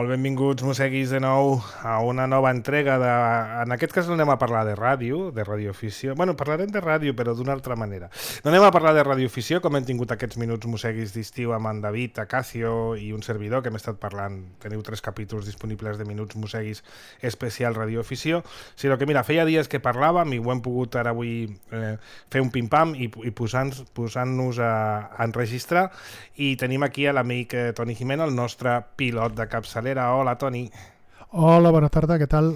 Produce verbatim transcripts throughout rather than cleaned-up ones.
Molt benvinguts, mosseguis, de nou a una nova entrega de... En aquest cas no anem a parlar de ràdio, de radioafició. Bueno, parlarem de ràdio, però d'una altra manera. No anem a parlar de radioafició, com hem tingut aquests minuts mosseguis d'estiu amb en David, Acacio i un servidor, que hem estat parlant. Teniu tres capítols disponibles de minuts mosseguis especial radioafició, sinó que, mira, feia dies que parlàvem i ho hem pogut ara avui eh, fer un pim-pam i, i posant-nos posant a, a enregistrar. I tenim aquí a l'amic eh, Toni Jimeno, el nostre pilot de capçalera. Hola, Toni. Hola, bona tarda, què tal?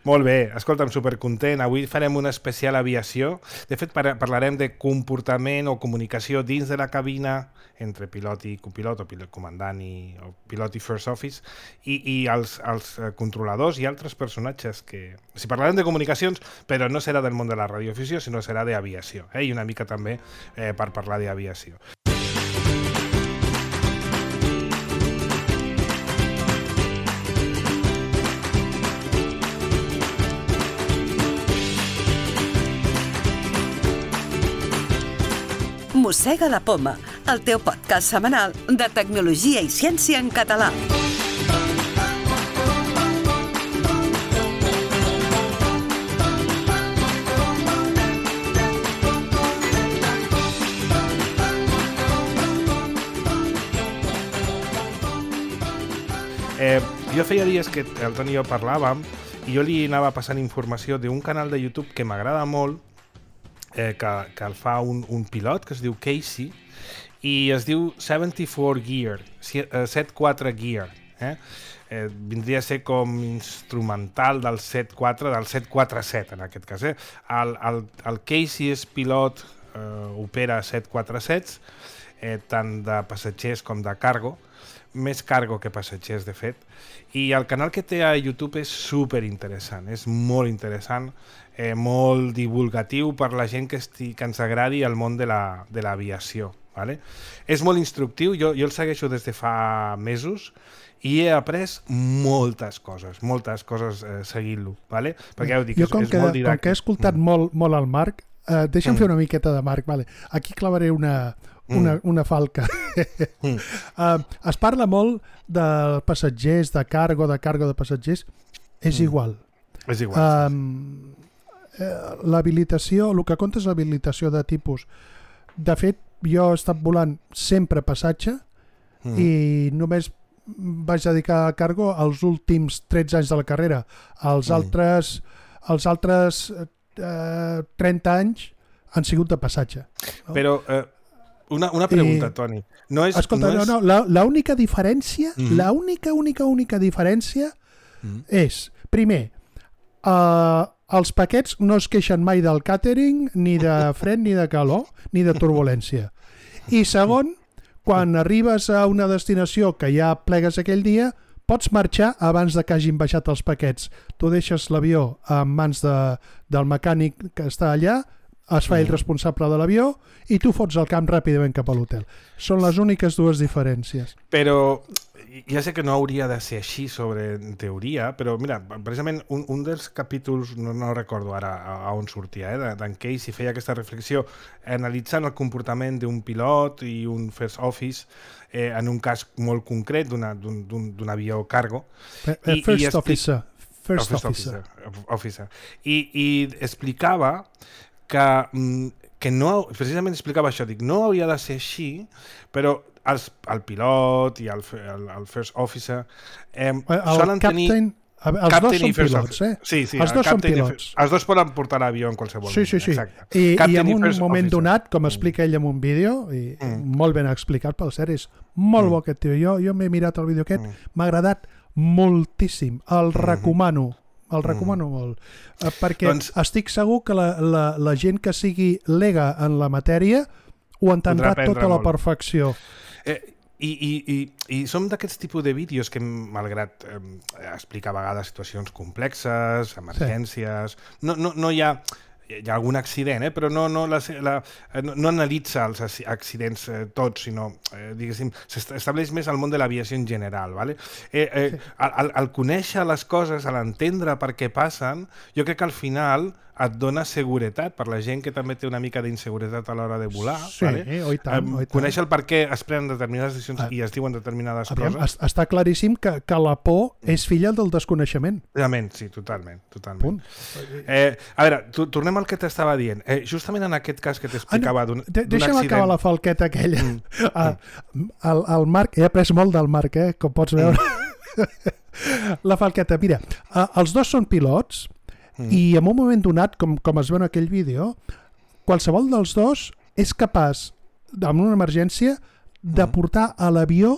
Molt bé, escolta'm, supercontent. Avui farem una especial aviació. De fet, par parlarem de comportament o comunicació dins de la cabina entre pilot i copilot, o pilot comandant i o pilot i first office, i, i els, els controladors i altres personatges que... Si parlarem de comunicacions, però no serà del món de la radioafició, sinó serà d'aviació, eh? I una mica també eh, per parlar d'aviació. Mossega la Poma, el teu podcast setmanal de tecnologia i ciència en català. Eh, jo feia dies que el Toni i jo parlàvem i jo li anava passant informació d'un canal de YouTube que m'agrada molt, eh, que, que el fa un, un pilot que es diu Casey i es diu setanta-quatre Gear, setanta-quatre Gear. Eh? Eh, vindria a ser com instrumental del setanta-quatre, del set quatre set en aquest cas. Eh? El, el, el Casey és pilot, eh, opera set quatre sets, eh, tant de passatgers com de cargo, més cargo que passatgers, de fet, i el canal que té a YouTube és super interessant, és molt interessant, eh, molt divulgatiu per la gent que, esti, que ens agradi el món de l'aviació. La, vale? És molt instructiu, jo, jo el segueixo des de fa mesos i he après moltes coses, moltes coses eh, seguint-lo, vale? Perquè ja ho dic, jo, és, com és que, molt didàctic. Com que he escoltat mm. molt, molt el Marc, eh, deixa'm mm. fer una miqueta de Marc, vale? Aquí clavaré una... Una, una falca. mm. uh, es parla molt de passatgers, de cargo, de cargo de passatgers. És mm. igual. És igual. Um, eh, l'habilitació, el que compta és l'habilitació de tipus. De fet, jo he estat volant sempre passatge mm. i només vaig dedicar a cargo els últims tretze anys de la carrera. Els mm. altres, els altres eh, trenta anys han sigut de passatge. No? Però... Eh... Una, una pregunta, I, Toni. No és, escolta, no, és... no, no, la única diferència, mm -hmm. la única, única, única diferència mm -hmm. és, primer, uh, els paquets no es queixen mai del càtering, ni de fred, ni de calor, ni de turbulència. I segon, quan arribes a una destinació que ja plegues aquell dia, pots marxar abans de que hagin baixat els paquets. Tu deixes l'avió en mans de, del mecànic que està allà, es fa ell responsable de l'avió i tu fots el camp ràpidament cap a l'hotel. Són les úniques dues diferències. Però ja sé que no hauria de ser així sobre en teoria, però mira, precisament un, un dels capítols, no, no recordo ara a, a on sortia, eh, d'en Casey feia aquesta reflexió analitzant el comportament d'un pilot i un first office eh, en un cas molt concret d'un avió cargo. I, first i explic... officer. First, first officer. officer. officer. I, I explicava que, que no, precisament explicava això, dic, no hauria de ser així, però els, el pilot i el, el, el first officer eh, el solen captain, tenir... Els captain dos són pilots, eh? Sí, sí, els dos són pilots. Els dos poden portar l'avió en qualsevol sí, sí, sí. moment. I, i en un moment officer. donat, com explica ell en un vídeo, i mm. molt ben explicat pel cert, és molt mm. bo aquest tio. Jo, jo m'he mirat el vídeo aquest, m'ha mm. agradat moltíssim. El mm. recomano. El recomano mm. molt, uh, perquè doncs, estic segur que la, la, la gent que sigui lega en la matèria ho entendrà tota la perfecció. Eh, i, i, i, i som d'aquests tipus de vídeos que, malgrat eh, explicar a vegades situacions complexes, emergències, sí. no, no, no hi ha... hi ha algun accident, eh? Però no, no, la, la, no, no analitza els accidents eh, tots, sinó, eh, diguéssim, s'estableix més al món de l'aviació en general. Vale? Eh, eh, sí. al, al conèixer les coses, a l'entendre per què passen, jo crec que al final et dona seguretat per la gent que també té una mica d'inseguretat a l'hora de volar. Sí, vale? oi tant, um, oi tant. Conèixer el per què es prenen determinades decisions ah, i es diuen determinades aviam, coses. Està claríssim que, que la por és filla del desconeixement. Realment, sí, totalment. totalment. Eh, a veure, tu, tornem al que t'estava dient. Eh, justament en aquest cas que t'explicava ah, no, d'un accident... Deixa'm acabar la falqueta aquella. Mm. Mm. El, el Marc, he après molt del Marc, eh, com pots veure. Mm. La falqueta, mira, uh, els dos són pilots, Mm. i en un moment donat, com, com es veu en aquell vídeo, qualsevol dels dos és capaç, en una emergència, de mm. portar a l'avió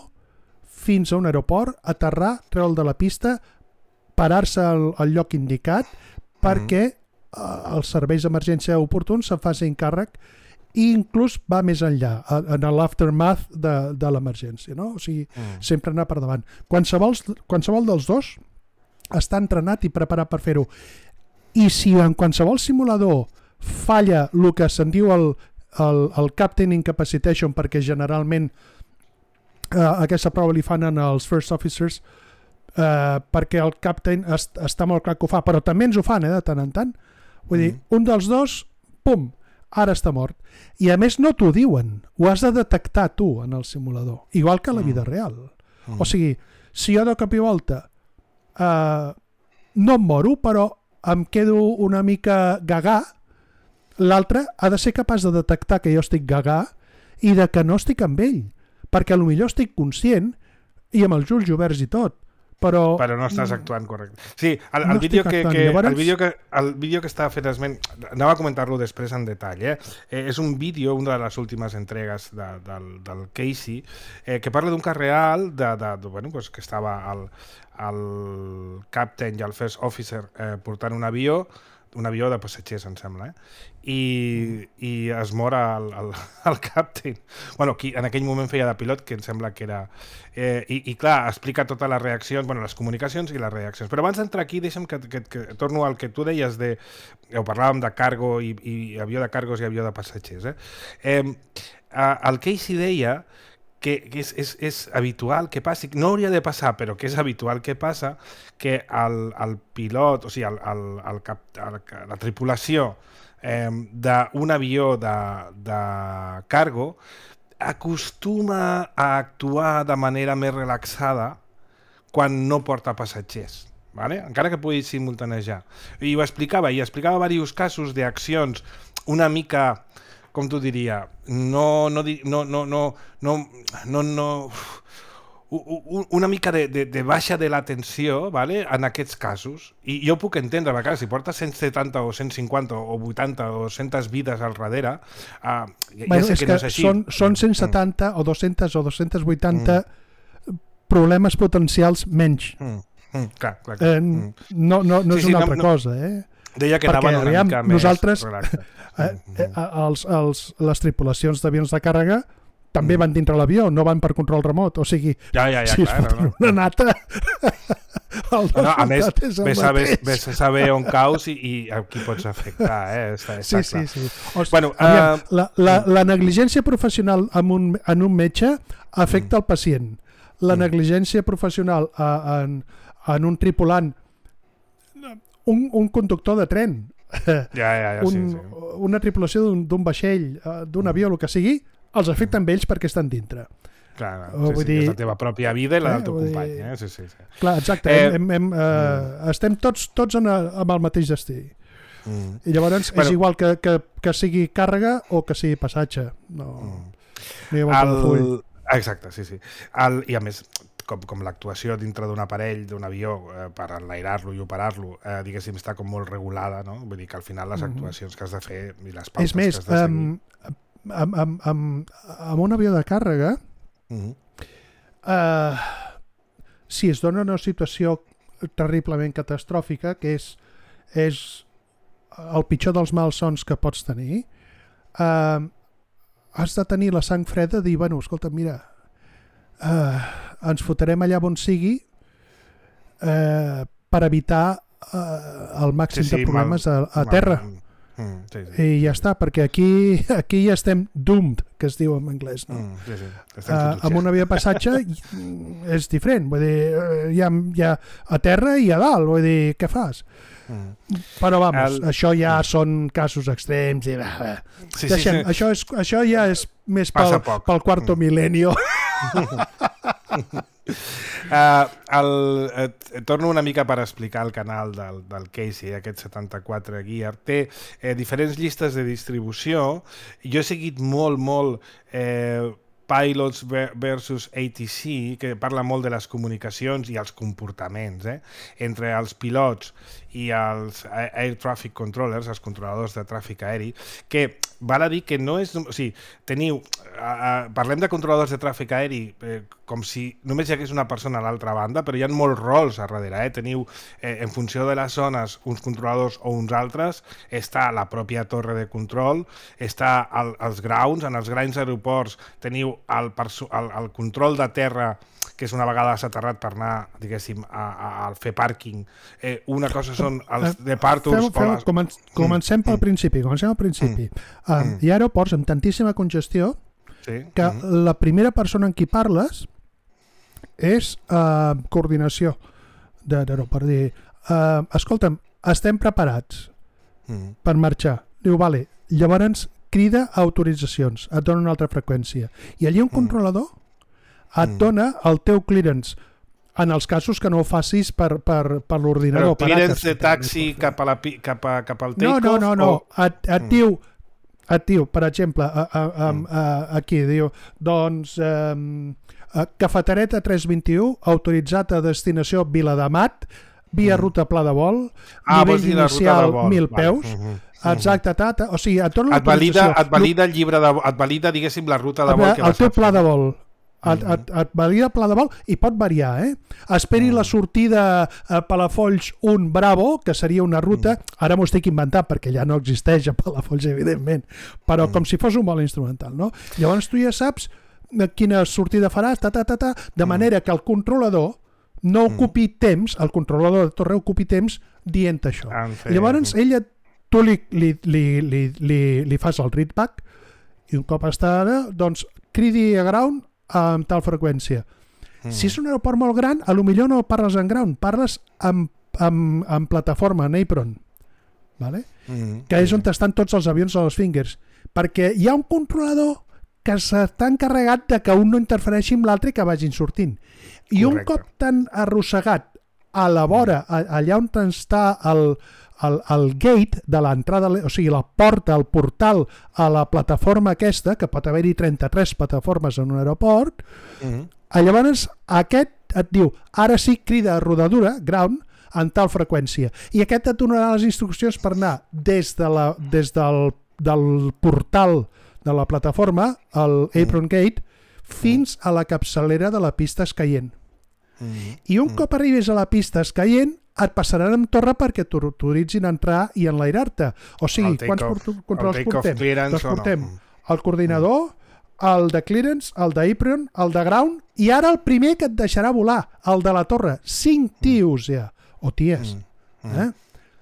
fins a un aeroport, aterrar, treure'l de la pista, parar-se al, al lloc indicat, perquè mm. uh, els serveis d'emergència oportuns se'n facin càrrec i inclús va més enllà, en l'aftermath de, de l'emergència. No? O sigui, mm. sempre anar per davant. Qualsevol, qualsevol dels dos està entrenat i preparat per fer-ho. I si en qualsevol simulador falla el que se'n diu el, el, el Captain Incapacitation, perquè generalment eh, aquesta prova li fan als First Officers, eh, perquè el Captain est, està molt clar que ho fa, però també ens ho fan eh, de tant en tant. Vull mm. dir, un dels dos, pum, ara està mort. I a més no t'ho diuen, ho has de detectar tu en el simulador, igual que a la vida mm. real. Mm. O sigui, si jo de cop i volta eh, no em moro, però em quedo una mica gagà, l'altre ha de ser capaç de detectar que jo estic gagà i de que no estic amb ell, perquè potser estic conscient i amb els ulls oberts i tot, però... Però no estàs actuant correcte. Sí, el, el, no vídeo, que, que, Llavors... el, vídeo, que, el vídeo que estava fet esment, anava a comentar-lo després en detall, eh? Eh, és un vídeo, una de les últimes entregues de, del, del Casey, eh, que parla d'un cas real de, de, de, bueno, pues, que estava al, el captain i el first officer eh, portant un avió, un avió de passatgers, em sembla, eh? I, i es mor el, el, el captain. Bueno, qui en aquell moment feia de pilot, que em sembla que era... Eh, i, I clar, explica totes les reaccions, bueno, les comunicacions i les reaccions. Però abans d'entrar aquí, deixa'm que, que, que torno al que tu deies de... Ho parlàvem de cargo i, i avió de cargos i avió de passatgers, eh? Eh, el Casey deia que és, és, és habitual que passi, no hauria de passar, però que és habitual que passa, que el, el pilot, o sigui, el, el, el cap, el, la tripulació eh, d'un avió de, de cargo acostuma a actuar de manera més relaxada quan no porta passatgers. Vale? Encara que pugui simultanejar. I ho explicava, i explicava diversos casos d'accions una mica... com t'ho diria, no, no, no, no, no, no, no, no una mica de, de, de baixa de l'atenció, vale? En aquests casos. I jo ho puc entendre, a vegades, si portes cent setanta o cent cinquanta o vuitanta o cent vides al darrere, uh, ja, bueno, ja sé que, que no és així. Són, són cent setanta mm. o dos-cents o dos-cents vuitanta mm. problemes potencials menys. Mm. Mm. Clar, clar, clar. Eh, no no, no sí, és una sí, altra no, cosa, eh? Deia que perquè, anaven una aviam, mica més nosaltres, eh, eh, els, els, les tripulacions d'avions de càrrega també mm. van dintre l'avió, no van per control remot, o sigui, ja, ja, ja, si clar, es no, una nata el no, a més, ves a, ves, ves a saber on caus i, i a qui pots afectar, eh? Està, està sí, clar. sí, sí. O sigui, bueno, aviam, uh... la, la, la negligència professional en un, en un metge afecta mm. el pacient, la mm. negligència professional uh, en, en un tripulant, un, un conductor de tren, ja, ja, ja, un, sí, sí. una tripulació d'un vaixell, d'un avió, el que sigui, els afecta amb ells perquè estan dintre. Clar, sí, sí, dir... és la teva pròpia vida i la del teu company. Eh? Sí, sí, sí. Clar, exacte, eh... hem, hem, eh, mm. estem tots, tots en, amb el mateix destí. Mm. I llavors bueno, és igual que, que, que sigui càrrega o que sigui passatge. No, mm. no hi ha el... full. Exacte, sí, sí. El... I a més, com, com l'actuació dintre d'un aparell, d'un avió, eh, per enlairar-lo i operar-lo, eh, diguéssim, està com molt regulada, no? Vull dir que al final les actuacions que has de fer i les pautes és més, que has de seguir... Um, amb, amb, amb, amb un avió de càrrega, uh-huh. eh, si es dona una situació terriblement catastròfica, que és, és el pitjor dels malsons que pots tenir, eh, has de tenir la sang freda de dir, bueno, escolta, mira, eh, ens fotrem allà on sigui eh, per evitar eh, el màxim sí, sí, de problemes mal, a, a terra. Mal, Mm, sí, sí. I ja està, perquè aquí, aquí ja estem doomed, que es diu en anglès, no? Mm, sí, sí. Uh, amb una via de passatge és diferent, vull dir, hi ha, hi ha a terra i a dalt, vull dir, què fas? Mm. Però vamos, El... això ja mm. són casos extrems i bah, bah. Sí, Deixem, sí, sí. Això, és, això ja és més pel, pel quarto mm. mil·lenio. Uh, el, eh, torno una mica per explicar el canal del, del Casey, aquest setanta-quatre Gear. Té eh, diferents llistes de distribució. Jo he seguit molt, molt eh, Pilots versus A T C, que parla molt de les comunicacions i els comportaments eh, entre els pilots i els Air Traffic Controllers, els controladors de tràfic aeri, que val a dir que no és... O sigui, teniu... Uh, parlem de controladors de tràfic aeri eh, com si només hi hagués una persona a l'altra banda, però hi ha molts rols a darrere. Eh? Teniu, eh, en funció de les zones, uns controladors o uns altres, està la pròpia torre de control, està el, els grounds, en els grans aeroports teniu el, el, el control de terra, que és una vegada s'ha aterrat per anar, diguéssim, a, a, a fer pàrquing. Eh, una cosa són els departures... Fem, fem, comen comencem mm. pel principi. Comencem al principi. Mm. Uh, mm. Hi ha aeroports amb tantíssima congestió sí. que mm. la primera persona amb qui parles és uh, coordinació d'aeroport. Dir, uh, escolta'm, estem preparats mm. per marxar. Diu, vale, llavors crida autoritzacions, et dona una altra freqüència. I allí un controlador mm. et dona el teu clearance en els casos que no ho facis per, per, per l'ordinador. Però clearance de taxi cap, a la, cap, a, cap al take-off? No, no, no, no. O... Et, et, mm. diu, et diu, per exemple, a, a, a, a, aquí, diu, doncs, um, cafetereta tres vint-i-u, autoritzat a destinació Viladamat, via mm. ruta pla de vol, ah, nivell inicial mil peus, vale. mm -hmm. Exacte, tata. O sigui, et dona et valida, et valida el llibre de, et valida, diguéssim, la ruta de vol que vas a fer. El teu pla de vol. Et, et, et valida el pla de vol i pot variar, eh? Esperi mm. la sortida a Palafolls un Bravo, que seria una ruta, mm. ara m'ho estic inventant perquè ja no existeix a Palafolls, evidentment, però mm. com si fos un vol instrumental, no? Llavors tu ja saps quina sortida faràs, ta, ta, ta, ta, de manera que el controlador no ocupi mm. temps, el controlador de torre ocupi temps dient això. Llavors ella, tu li, li, li, li, li, li fas el readback i un cop està ara, doncs cridi a ground amb tal freqüència. Mm. Si és un aeroport molt gran, a lo millor no parles en ground, parles amb, amb, amb plataforma, en apron, vale? mm. que és on estan tots els avions a les fingers, perquè hi ha un controlador que s'està encarregat de que un no interfereixi amb l'altre i que vagin sortint. I Correcte. Un cop tan arrossegat a la vora, allà on està el, el, el gate de l'entrada, o sigui, la porta, el portal a la plataforma aquesta, que pot haver-hi trenta-tres plataformes en un aeroport, mm-hmm. llavors aquest et diu, ara sí, crida a rodadura, ground, en tal freqüència. I aquest et donarà les instruccions per anar des, de la, des del, del portal de la plataforma, el apron gate, fins a la capçalera de la pista escaient. Mm. I un mm. cop arribis a la pista escaient, et passaran amb torre perquè t'autoritzin a entrar i enlairar-te. O sigui, quants controls portem? Doncs portem no. el coordinador, el de clearance, el d'apron, el de ground, i ara el primer que et deixarà volar, el de la torre. Cinc tios ja, o ties. Mm. Eh?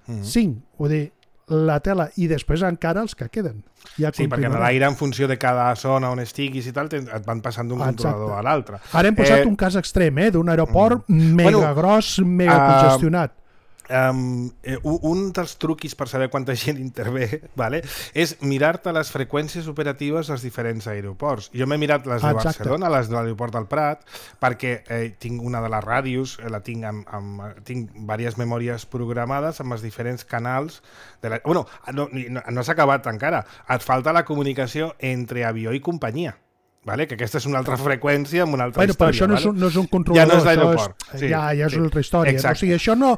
Mm. Cinc, vull dir, la tela, i després encara els que queden. Ja sí, perquè en l'aire, en funció de cada zona on estiguis i tal, et van passant d'un controlador a l'altre. Ara hem posat eh... un cas extrem, eh, d'un aeroport mm. mega bueno, gros, mega uh, congestionat. Um, eh, un dels truquis per saber quanta gent intervé, vale, és mirar-te les freqüències operatives als diferents aeroports. Jo m'he mirat les de Exacte. Barcelona, les de l'aeroport del Prat, perquè eh, tinc una de les ràdios, eh, la tinc amb, amb, tinc diverses memòries programades amb els diferents canals. De la... Bueno, no, no, no s'ha acabat encara. Et falta la comunicació entre avió i companyia. Vale? Que aquesta és una altra freqüència amb una altra bueno, història. Però això no, vale? és, un, no és un controlador, ja no és l'aeroport. Sí, ja, ja és sí. una altra història. No? O sigui, això no,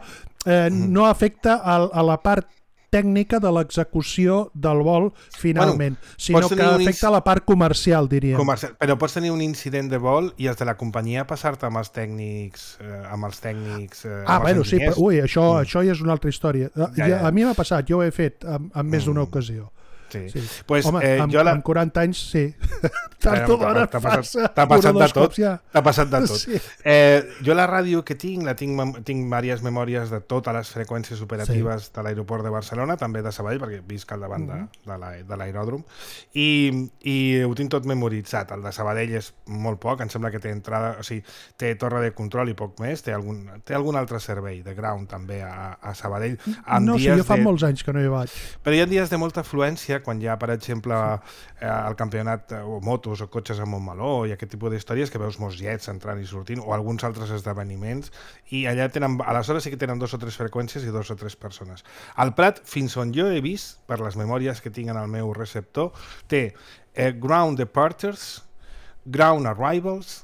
eh, no afecta a, a la part tècnica de l'execució del vol finalment, bueno, sinó que afecta a la part comercial, diríem. Comercial. Però pots tenir un incident de vol i els de la companyia passar-te amb els tècnics, eh, amb els tècnics eh, ah, amb bueno, els sí, però, ui, això, mm. això ja és una altra història. Ja, ja. A mi m'ha passat, jo ho he fet en, en més mm. d'una ocasió. Sí. sí. Pues, Home, eh, amb, jo la... amb quaranta anys, sí. Tard o d'hora T'ha passat, passa. t'ha passat de tot. Ja. T'ha passat de tot. Sí. Eh, jo la ràdio que tinc, la tinc, tinc diverses memòries de totes les freqüències operatives sí. de l'aeroport de Barcelona, també de Sabadell, perquè visc al davant mm-hmm. de, de l'aeròdrom, i, i ho tinc tot memoritzat. El de Sabadell és molt poc, em sembla que té entrada, o sigui, té torre de control i poc més, té algun, té algun altre servei de ground també a, a Sabadell. No, sí, jo fa de... molts anys que no hi vaig. Però hi ha dies de molta afluència, quan hi ha, per exemple, eh, el campionat o motos o cotxes a Montmeló i aquest tipus d'històries que veus molts jets entrant i sortint o alguns altres esdeveniments i allà tenen, aleshores sí que tenen dos o tres freqüències i dos o tres persones. Al Prat, fins on jo he vist, per les memòries que tinc en el meu receptor, té eh, ground departures, ground arrivals,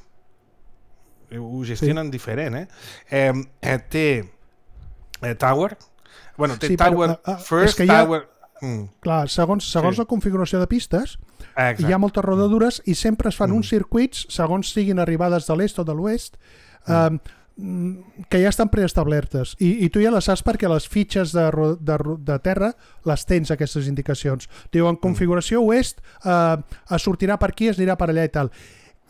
ho gestionen sí. diferent, eh? Eh, eh té eh, tower, bueno, té sí, tower però, uh, first, tower... Ha... Mm. Clar, segons, segons sí. la configuració de pistes, exacte. Hi ha moltes rodadures i sempre es fan mm. uns circuits, segons siguin arribades de l'est o de l'oest, mm. eh, que ja estan preestablertes. I, I tu ja les saps perquè les fitxes de, de, de terra les tens, aquestes indicacions. Diuen configuració mm. oest, eh, es sortirà per aquí, es anirà per allà i tal.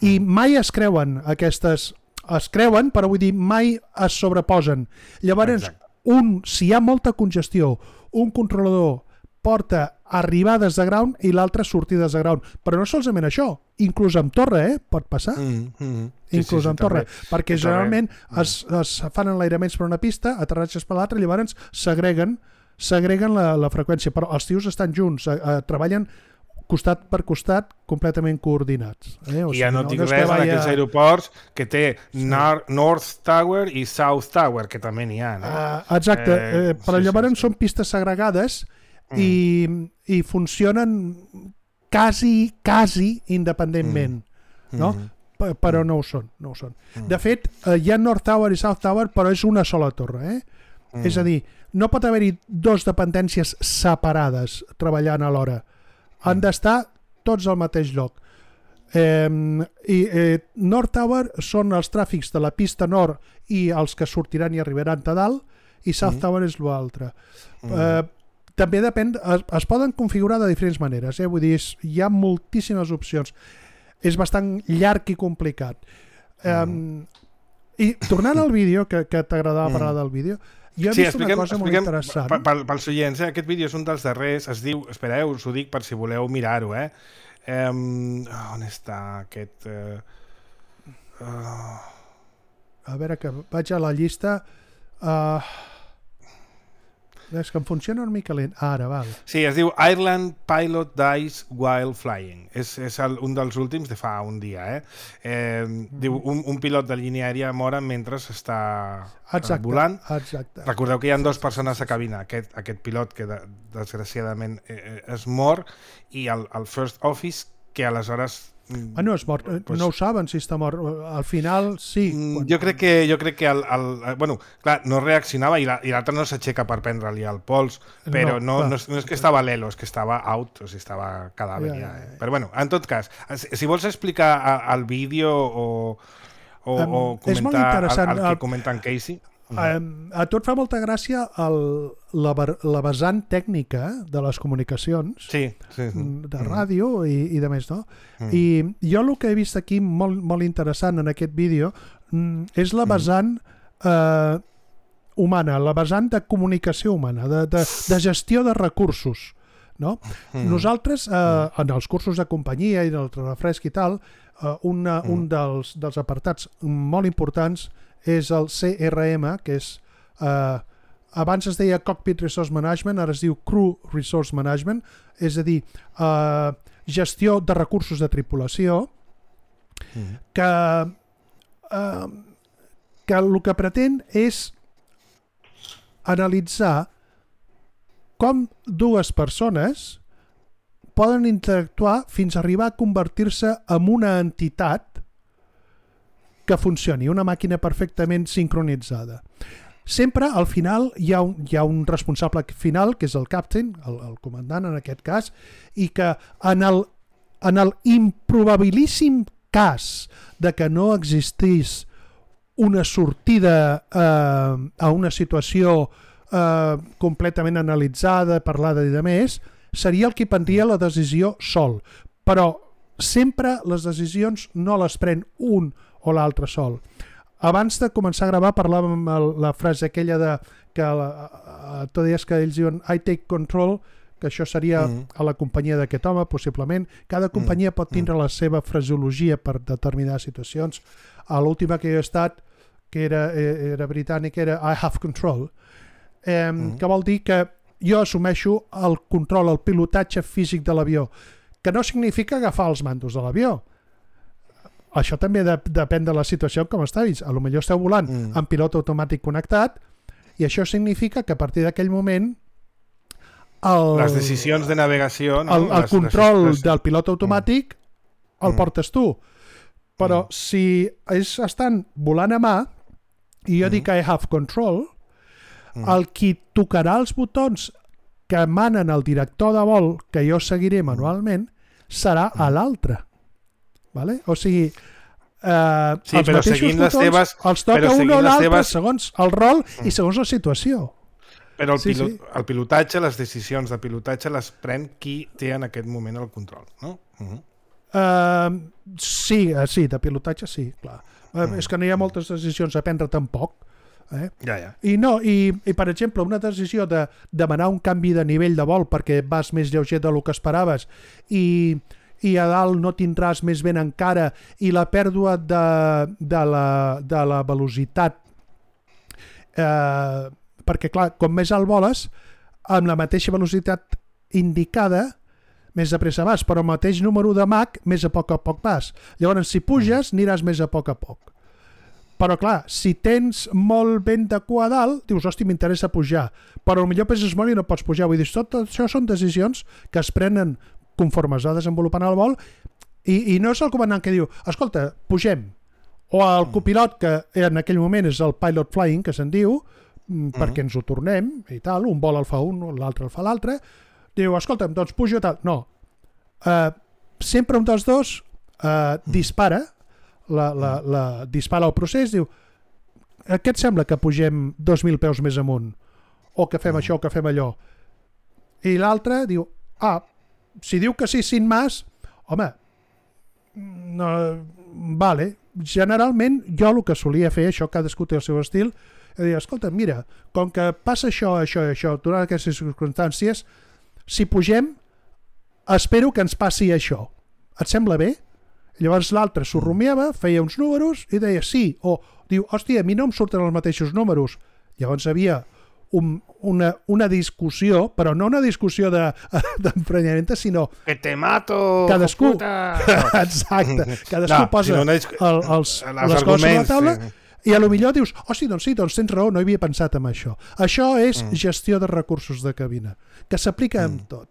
I mai es creuen aquestes... Es creuen, però vull dir, mai es sobreposen. Llavors, exacte. un, si hi ha molta congestió, un controlador porta arribades de ground i l'altre sortides de ground. Però no solament això, inclús amb torre, eh? Pot passar. Mm, mm. Sí, inclús sí, sí, amb torre. També. Perquè en generalment torre. Es, es fan enlairaments per una pista, aterratges per l'altra, llavors s'agreguen s'agreguen la, la freqüència. Però els tios estan junts, a, a, treballen costat per costat, completament coordinats. Eh? O I ja sigui, no dic no res en aquells aeroports que té sí. Nor North Tower i South Tower, que també n'hi ha. No? Uh, exacte, eh, eh, però sí, llavors sí, sí. són pistes segregades mm. i, i funcionen quasi, quasi independentment, mm. no? Mm. P però no ho són. No ho són. Mm. De fet, eh, hi ha North Tower i South Tower, però és una sola torre. Eh? Mm. És a dir, no pot haver-hi dos dependències separades treballant alhora. Han d'estar tots al mateix lloc. Eh, i eh, North Tower són els tràfics de la pista nord i els que sortiran i arribaran a dalt, i South mm. Tower és l'altre. Mm. Eh, també depèn, es, es poden configurar de diferents maneres, eh? Vull dir, és, hi ha moltíssimes opcions. És bastant llarg i complicat. Eh, mm. I tornant al vídeo, que, que t'agradava mm. parlar del vídeo, jo he sí, vist expliquem, una cosa molt interessant. Pels oients, eh? Aquest vídeo és un dels darrers, es diu, espereu, us ho dic per si voleu mirar-ho, eh? Um, on està aquest... Uh, uh... A veure, que vaig a la llista... Uh... És que em funciona una mica lent. Ara, val. Sí, es diu Ireland Pilot Dies While Flying. És, és el, un dels últims de fa un dia. Eh? Eh, mm. Diu, un, un pilot de línia aèria mor mentre està exacte, volant. Exacte. Recordeu que hi ha dues persones a cabina. Aquest, aquest pilot que de, desgraciadament eh, es mor i el, el First Office que aleshores... Ah, no és mort, pues, no ho saben si està mort. Al final sí. Quan... Jo crec que, jo crec que el, el, bueno, clar, no reaccionava i l'altre no s'aixeca per prendre-li el pols, però no, no, no, és, no és que estava l'elo, és que estava out, o sigui, estava cadàver ja, ja, ja. Eh? Però bueno, en tot cas, si vols explicar el vídeo o, o, um, o comentar el, el que comenta en Casey... Um, a tu et fa molta gràcia el, la, la vessant tècnica de les comunicacions sí, sí, sí. de ràdio mm. i, i de més, no? Mm. I jo el que he vist aquí molt, molt interessant en aquest vídeo és la vessant eh, humana, la vessant de comunicació humana, de, de, de gestió de recursos, no? Mm. Nosaltres, eh, en els cursos de companyia i del refresc i tal, eh, una, mm. un dels, dels apartats molt importants és el C R M, que és eh, abans es deia Cockpit Resource Management, ara es diu Crew Resource Management, és a dir, eh, gestió de recursos de tripulació, mm. que, eh, que el que pretén és analitzar com dues persones poden interactuar fins a arribar a convertir-se en una entitat que funcioni, una màquina perfectament sincronitzada. Sempre al final hi ha un, hi ha un responsable final, que és el captain, el, el comandant en aquest cas, i que en el, en el improbabilíssim cas de que no existís una sortida eh, a una situació eh, completament analitzada, parlada i de més, seria el qui prendria la decisió sol, però sempre les decisions no les pren un o l'altre sol. Abans de començar a gravar parlàvem la frase aquella de que la, tu deies que ells diuen I take control, que això seria mm. a la companyia d'aquest home, possiblement. Cada companyia mm. pot tindre mm. la seva fraseologia per determinades situacions. A l'última que jo he estat, que era, era britànic, era I have control, eh, mm. que vol dir que jo assumeixo el control, el pilotatge físic de l'avió, que no significa agafar els mandos de l'avió. Això també de, depèn de la situació com estàs. A lo millor esteu volant mm. amb pilot automàtic connectat i això significa que a partir d'aquell moment el, les decisions de navegació, no? el, el les, control les... del pilot automàtic mm. el portes tu. Però mm. si ells estan volant a mà i jo mm. dic I have control, mm. el qui tocarà els botons que emanen el director de vol, que jo seguiré manualment, serà a l'altre. Vale? O sigui, eh, sí, els però mateixos seguint botons les teves, els toca un o l'altre teves... segons el rol mm. i segons la situació. Però el, sí, pilot, sí. el pilotatge, les decisions de pilotatge les pren qui té en aquest moment el control, no? Uh-huh. Uh, sí, uh, sí, de pilotatge sí, clar. Uh, uh-huh. És que no hi ha moltes decisions a prendre tampoc. Eh? Ja, ja. I no, i, i per exemple, una decisió de demanar un canvi de nivell de vol perquè vas més lleuger del que esperaves i, i a dalt no tindràs més vent encara i la pèrdua de, de, la, de la velocitat eh, perquè clar, com més alt voles amb la mateixa velocitat indicada més de pressa vas, però el mateix número de Mach més a poc a poc vas. Llavors si puges aniràs més a poc a poc. Però clar, si tens molt vent de cua a dalt, dius, hosti, m'interessa pujar, però potser peses molt i no pots pujar. Vull dir, tot això són decisions que es prenen conforme es va desenvolupant el vol i, i no és el comandant que diu, escolta, pugem. O el copilot, que en aquell moment és el pilot flying, que se'n diu, mm, perquè ens ho tornem i tal, un vol el fa un, l'altre el fa l'altre, diu, escolta'm, doncs pujo tal. No. Uh, sempre un dels dos uh, dispara La, la, la dispara el procés, diu què et sembla que pugem dos mil peus més amunt o que fem mm. això o que fem allò, i l'altre diu ah, si diu que sí sin más, home no, vale, generalment jo el que solia fer, això cadascú té el seu estil, és dir, escolta, mira, com que passa això, això i això durant aquestes circumstàncies, si pugem espero que ens passi això, et sembla bé? Llavors l'altre s'ho rumiava, feia uns números i deia sí, o diu, hòstia, a mi no em surten els mateixos números. Llavors havia un, una, una discussió, però no una discussió d'emprenyament, de, sinó... Que te mato, cadascú, puta! Exacte, cadascú no, posa si no, no és... el, els, les coses a la taula sí. I a lo millor dius, hosti, doncs sí, doncs tens raó, no havia pensat en això. Això és mm. gestió de recursos de cabina, que s'aplica mm. en tot.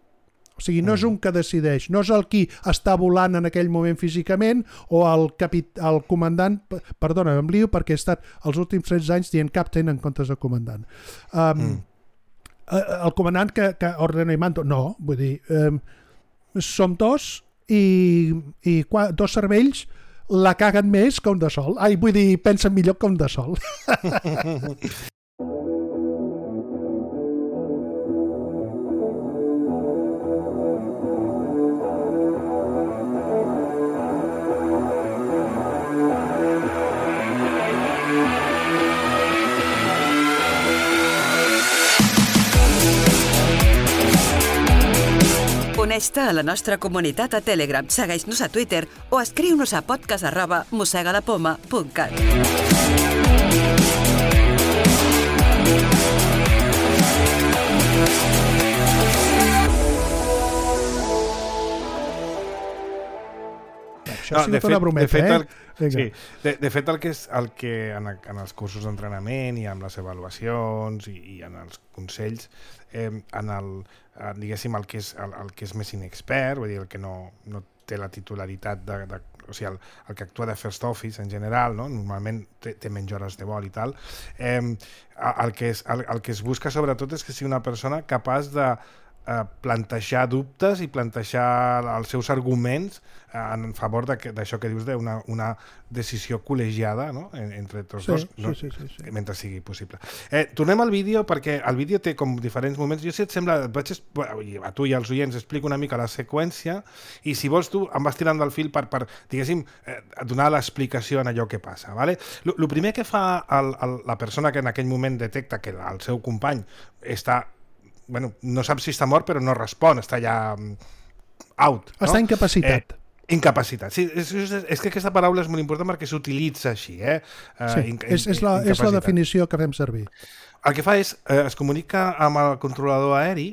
O sigui, no és un que decideix, no és el qui està volant en aquell moment físicament o el, capit el comandant, perdona, em lio perquè he estat els últims tretze anys dient captain en comptes de comandant. Um, mm. El comandant que, que ordena i mando, no, vull dir, um, som dos i, i qua, dos cervells la caguen més que un de sol. Ai, vull dir, pensen millor que un de sol. Uneix-te a la nostra comunitat a Telegram, segueix-nos a Twitter o escriu-nos a podcast arroba mossegalapoma punt cat. Això ha sigut una brometa, de fet, eh? El, sí, de, de fet, el que, és, el que en, en els cursos d'entrenament i amb les avaluacions i, i en els consells, eh, en el, diguéssim, el que és, el, el que és més inexpert, vull dir, el que no, no té la titularitat de, de o sigui, el, el que actua de first office en general, no? Normalment té, té menys hores de vol i tal, eh, el, que és, el, el que es busca sobretot és que sigui una persona capaç de eh, plantejar dubtes i plantejar els seus arguments en favor d'això que dius d'una una decisió col·legiada, no? entre tots sí, dos, sí, no? sí, sí, sí. mentre sigui possible. Eh, tornem al vídeo, perquè el vídeo té com diferents moments. Jo, si et sembla, et vaig, a tu i als oients explico una mica la seqüència i si vols tu em vas tirant del fil per, per diguéssim, eh, donar l'explicació en allò que passa. Vale? El primer que fa el, el, la persona que en aquell moment detecta que el seu company està, bueno, no sap si està mort, però no respon, està ja out. No? Està incapacitat. Eh, Incapacitat. Sí, és, és, és que aquesta paraula és molt important perquè s'utilitza així. Eh? Uh, sí, in, és, és, la, és la definició que fem servir. El que fa és, eh, es comunica amb el controlador aeri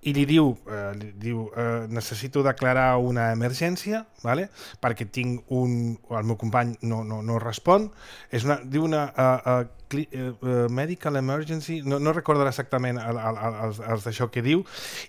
i li diu, eh, li diu eh, necessito declarar una emergència, vale? perquè tinc un... el meu company no, no, no respon. És una, diu una... Uh, uh, Uh, medical emergency, no, no recordo exactament el, el, el, el d'això que diu,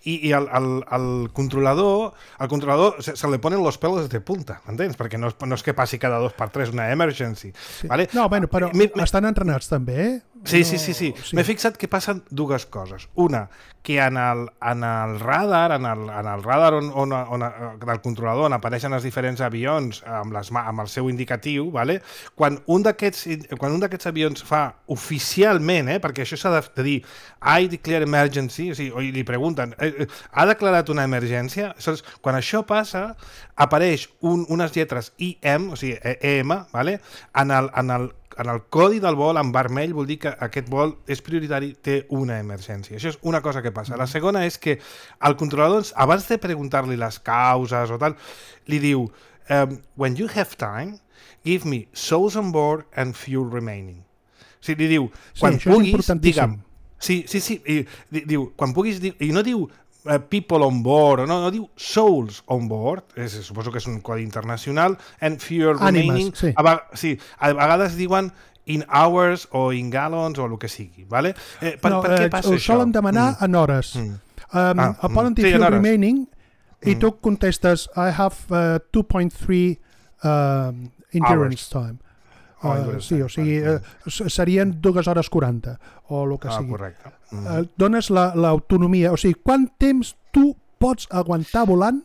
i, i el, el, el controlador el controlador se, se li ponen los pelos de punta, entens? Perquè no, no és que passi cada dos per tres una emergency. Sí. Vale? No, bueno, però mi, mi... estan entrenats també, eh? Sí, no... sí, sí, sí. sí. M'he fixat que passen dues coses. Una, que en el, en el radar, en el, en el radar on, on, on, del controlador on apareixen els diferents avions amb, les, amb el seu indicatiu, vale? quan un d'aquests quan un d'aquests avions fa oficialment, eh, perquè això s'ha de dir I declare emergency, o sigui, o li pregunten, eh, ha declarat una emergència? Aleshores, quan això passa, apareix un, unes lletres I M, o sigui, E M, vale? en el, en el en el codi del vol en vermell vol dir que aquest vol és prioritari, té una emergència. Això és una cosa que passa. La segona és que el controlador, abans de preguntar-li les causes o tal, li diu um, when you have time, give me souls on board and fuel remaining. O sigui, li diu, quan sí, puguis, digue'm... Sí, sí, sí, i, di, diu, quan puguis, di, i no diu uh, people on board, no, no diu souls on board, és, suposo que és un codi internacional, and fuel remaining, Ànimes, sí. A, sí, a vegades diuen in hours o in gallons o el que sigui, vale? Eh, per, no, per què eh, passa ho això? solen demanar mm. en hores. Mm. Um, ah, el poden dir sí, fuel remaining mm. i tu contestes I have uh, two point three uh, endurance hours. time. Uh, sí, o sigui, uh, serien dues hores quaranta o el que ah, sigui. Correcte. Mm. Uh, dones l'autonomia, la, o sigui, quant temps tu pots aguantar volant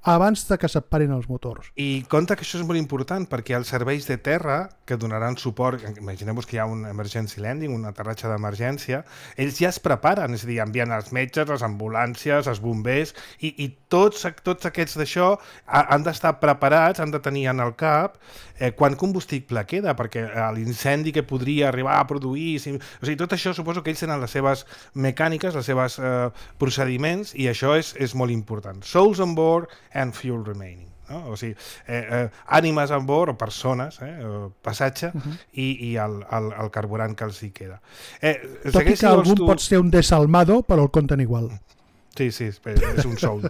abans de que se't parin els motors. I compte que això és molt important perquè els serveis de terra que donaran suport, imagineu-vos que hi ha un emergency landing, un aterratge d'emergència, ells ja es preparen, és a dir, envien els metges, les ambulàncies, els bombers, i, i tots, tots aquests d'això han d'estar preparats, han de tenir en el cap eh, quant combustible queda, perquè l'incendi que podria arribar a produir... Si, o sigui, tot això suposo que ells tenen les seves mecàniques, les seves eh, procediments, i això és, és molt important. Souls on board and fuel remaining. No? O sigui, eh, eh, ànimes a bord, o persones, eh, o passatge, uh -huh. i, i el, el, el carburant que els hi queda. Eh, Tot i que algun tu... pot ser un desalmado, però el compten igual. Sí, sí, és un soul.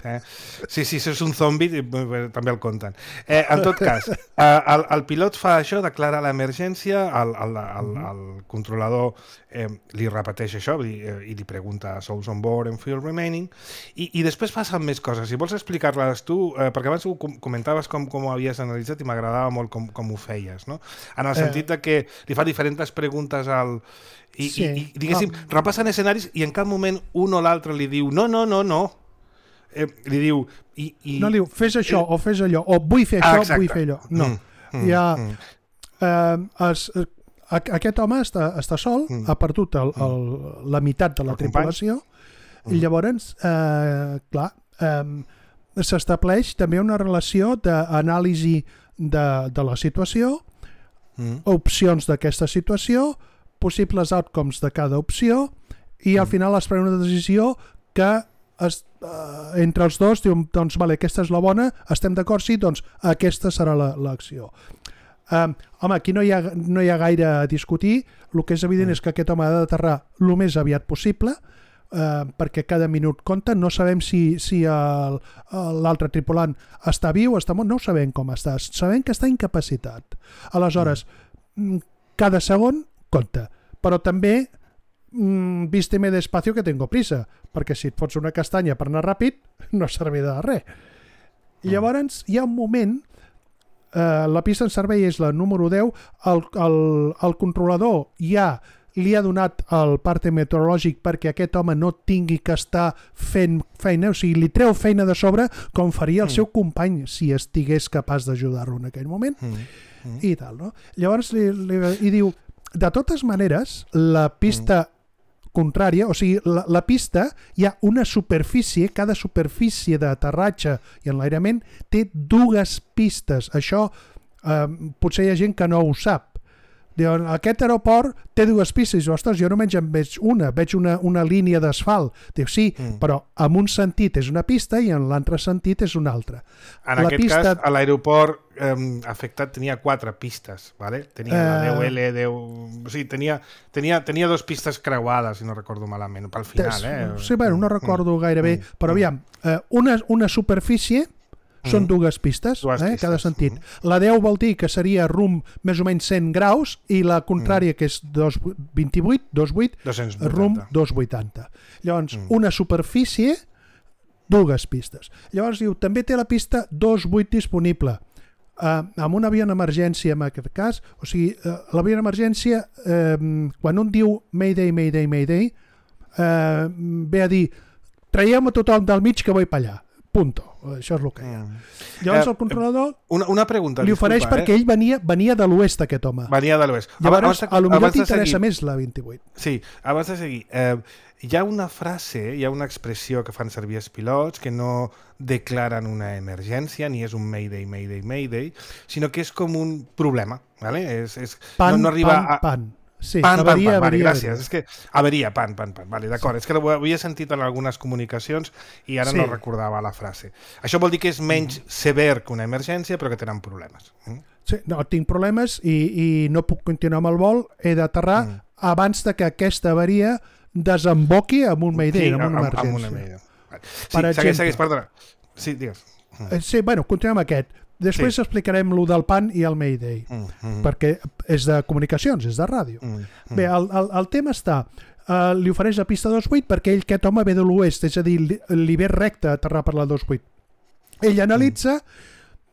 Eh? Sí, sí, si és un zombi, també el compten. Eh, en tot cas, eh, el, el pilot fa això, declara l'emergència, el, el, el, el controlador eh, li repeteix això i, i li pregunta souls on board and fuel remaining, i, i després passen més coses. Si vols explicar-les tu, eh, perquè abans ho comentaves com, com ho havies analitzat i m'agradava molt com, com ho feies, no? En el sentit de que li fa diferents preguntes al... I, sí. i, i diguéssim, oh. repassen escenaris i en cap moment un o l'altre li diu no, no, no, no. Eh, li diu... I, i... No li diu, fes això eh... o fes allò, o vull fer ah, això, exacte. vull fer allò. No. Mm, mm, Hi ha... Mm. Eh, es, aquest home està, està sol, mm. ha perdut el, el, la meitat de la el tripulació, mm. i llavors, eh, clar, eh, s'estableix també una relació d'anàlisi de, de la situació, mm. opcions d'aquesta situació, possibles outcomes de cada opció, i al final es pren una decisió que es, uh, entre els dos diuen, doncs vale, aquesta és la bona, estem d'acord, sí, doncs aquesta serà l'acció. Um, home, aquí no hi, ha, no hi ha gaire a discutir, el que és evident mm. és que aquest home ha d'aterrar el més aviat possible, uh, perquè cada minut compta, no sabem si, si l'altre tripulant està viu, està mort, no ho sabem com està, sabem que està incapacitat. Aleshores, mm. cada segon compte, però també mmm, vísteme despacio que tengo prisa, perquè si et fots una castanya per anar ràpid no servirà de res. I llavors hi ha un moment, eh, la pista en servei és la número deu, el, el, el controlador ja li ha donat el parte meteorològic perquè aquest home no tingui que estar fent feina, o sigui, li treu feina de sobre com faria el mm. seu company si estigués capaç d'ajudar-lo en aquell moment mm. Mm. i tal, no? Llavors li, li, i diu, de totes maneres, la pista mm. contrària, o sigui, la, la pista hi ha una superfície, cada superfície d'aterratge i enlairament té dues pistes. Això eh, potser hi ha gent que no ho sap. Diuen, aquest aeroport té dues pistes. Ostres, jo només en veig una, veig una, una línia d'asfalt. Diu, sí, mm. però en un sentit és una pista i en l'altre sentit és una altra. En la aquest pista... cas, a l'aeroport eh, afectat tenia quatre pistes, ¿vale? Tenia eh... la deu ele, deu... O sigui, tenia, tenia, tenia dos pistes creuades, si no recordo malament, pel final, eh? Sí, bueno, no recordo mm. gaire bé, mm. però aviam, eh, una, una superfície són mm. dues pistes, dues eh, pistes, cada sentit. Mm. La deu vol dir que seria rumb més o menys cent graus i la contrària, mm. que és dos, vint-i-vuit, dos coma vuit, rumb dos coma vuitanta. Llavors, mm. una superfície, dues pistes. Llavors diu, també té la pista dos coma vuit disponible. Uh, amb un avió d'emergència, en aquest cas, o sigui, uh, l'avió d'emergència, uh, quan un diu Mayday, Mayday, Mayday, uh, ve a dir, traiem a tothom del mig que vull per allà. Punto. Això és el que hi ha. Llavors el controlador una, una pregunta, li ofereix disculpa, perquè eh? ell venia, venia de l'oest, aquest home. Venia de l'oest. Llavors, a lo millor t'interessa més la vint-i-vuit. Sí, abans de seguir, eh, hi ha una frase, hi ha una expressió que fan servir els pilots que no declaren una emergència, ni és un Mayday, Mayday, Mayday, sinó que és com un problema, ¿vale? És, és, pan, no, no arriba pan, a... pan. Sí, pan, avaria, pan, pan, avaria, vale, gràcies. avaria. És que avaria, pan, pan, pan. Vale, d'acord, sí. És que ho havia sentit en algunes comunicacions i ara sí. no recordava la frase. Això vol dir que és menys mm. sever que una emergència, però que tenen problemes. Mm? Sí, no, tinc problemes i, i no puc continuar amb el vol, he d'aterrar mm. abans de que aquesta avaria desemboqui amb un Mayday, sí, amb una emergència. Amb una Mayday. Vale. Sí, per segueix, segueix, perdona. Sí, digues. Mm. Sí, bueno, continuem amb aquest. Després sí. explicarem lo del pan i el Mayday, mm, mm. perquè és de comunicacions, és de ràdio. Mm, mm. Bé, el, el, el tema està, uh, li ofereix la pista dos coma vuit perquè ell, aquest home, ve de l'oest, és a dir, li, li ve recte a aterrar per la dos coma vuit. Ell analitza,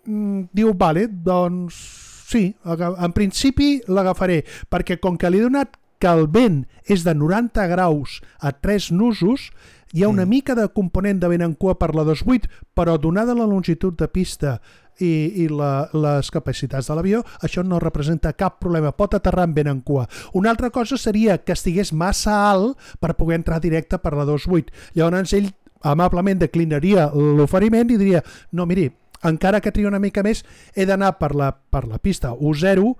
mm. diu, vale, doncs sí, en principi l'agafaré, perquè com que li he donat que el vent és de noranta graus a tres nusos, hi ha una mm. mica de component de vent en cua per la dos coma vuit, però donada la longitud de pista i, i la, les capacitats de l'avió, això no representa cap problema, pot aterrar amb vent en cua. Una altra cosa seria que estigués massa alt per poder entrar directe per la dos coma vuit. Llavors ell amablement declinaria l'oferiment i diria, no, miri, encara que tria una mica més, he d'anar per la, per la pista u zero,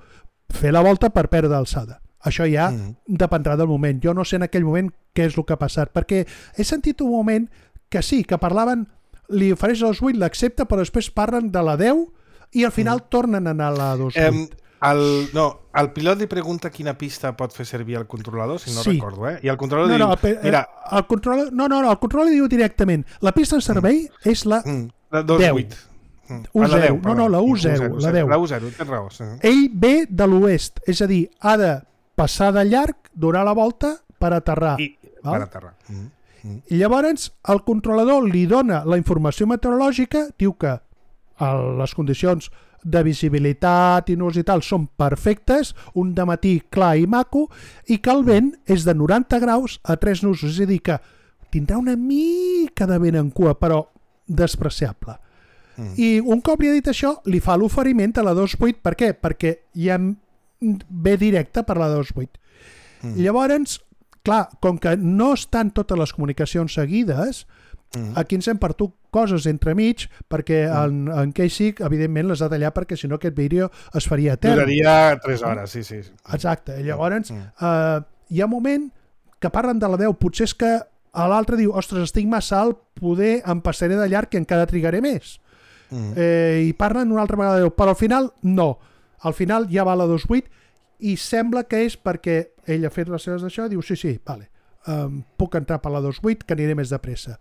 fer la volta per perdre alçada. Això ja mm. dependrà del moment. Jo no sé en aquell moment què és el que ha passat, perquè he sentit un moment que sí, que parlaven, li ofereix la dos coma vuit, l'accepta, però després parlen de la deu i al final mm. tornen a anar a la dos coma vuit. Eh, el, no, el pilot li pregunta quina pista pot fer servir el controlador, si no sí. recordo, eh? I el controlador no, diu... No, el, mira, el controlador, no, no, no, el controlador diu directament, la pista en servei mm. és la, mm. la dos coma vuit. Mm. u zero. deu, no, no, la u zero, la deu. La u zero, tens raó. Sí. Ell ve de l'oest, és a dir, ha de passar de llarg, donar la volta per aterrar. I, per aterrar. Mm. Mm. I llavors el controlador li dona la informació meteorològica, diu que les condicions de visibilitat i nus i tal són perfectes, un dematí clar i maco, i que el vent és de noranta graus a tres nusos, és a dir que tindrà una mica de vent en cua, però despreciable. Mm. I un cop li ha dit això, li fa l'oferiment a la dos coma vuit. Per què? Perquè ja ve directe per la dos coma vuit. Mm. Llavors, clar, com que no estan totes les comunicacions seguides, mm. aquí ens hem perdut coses entremig, perquè mm. en, en Casey, evidentment, les ha tallat perquè si no aquest vídeo es faria etern. Duraria tres hores, sí, sí. Exacte. Llavors, mm. eh, hi ha un moment que parlen de la deu, potser és que a l'altre diu, ostres, estic massa alt, poder em passaré de llarg i encara trigaré més. Mm. Eh, I parlen una altra vegada de deu, però al final no. Al final ja va a la dos coma vuit i sembla que és perquè ell ha fet les seves d'això i diu, sí, sí, vale, um, puc entrar per la dos coma vuit que aniré més de pressa.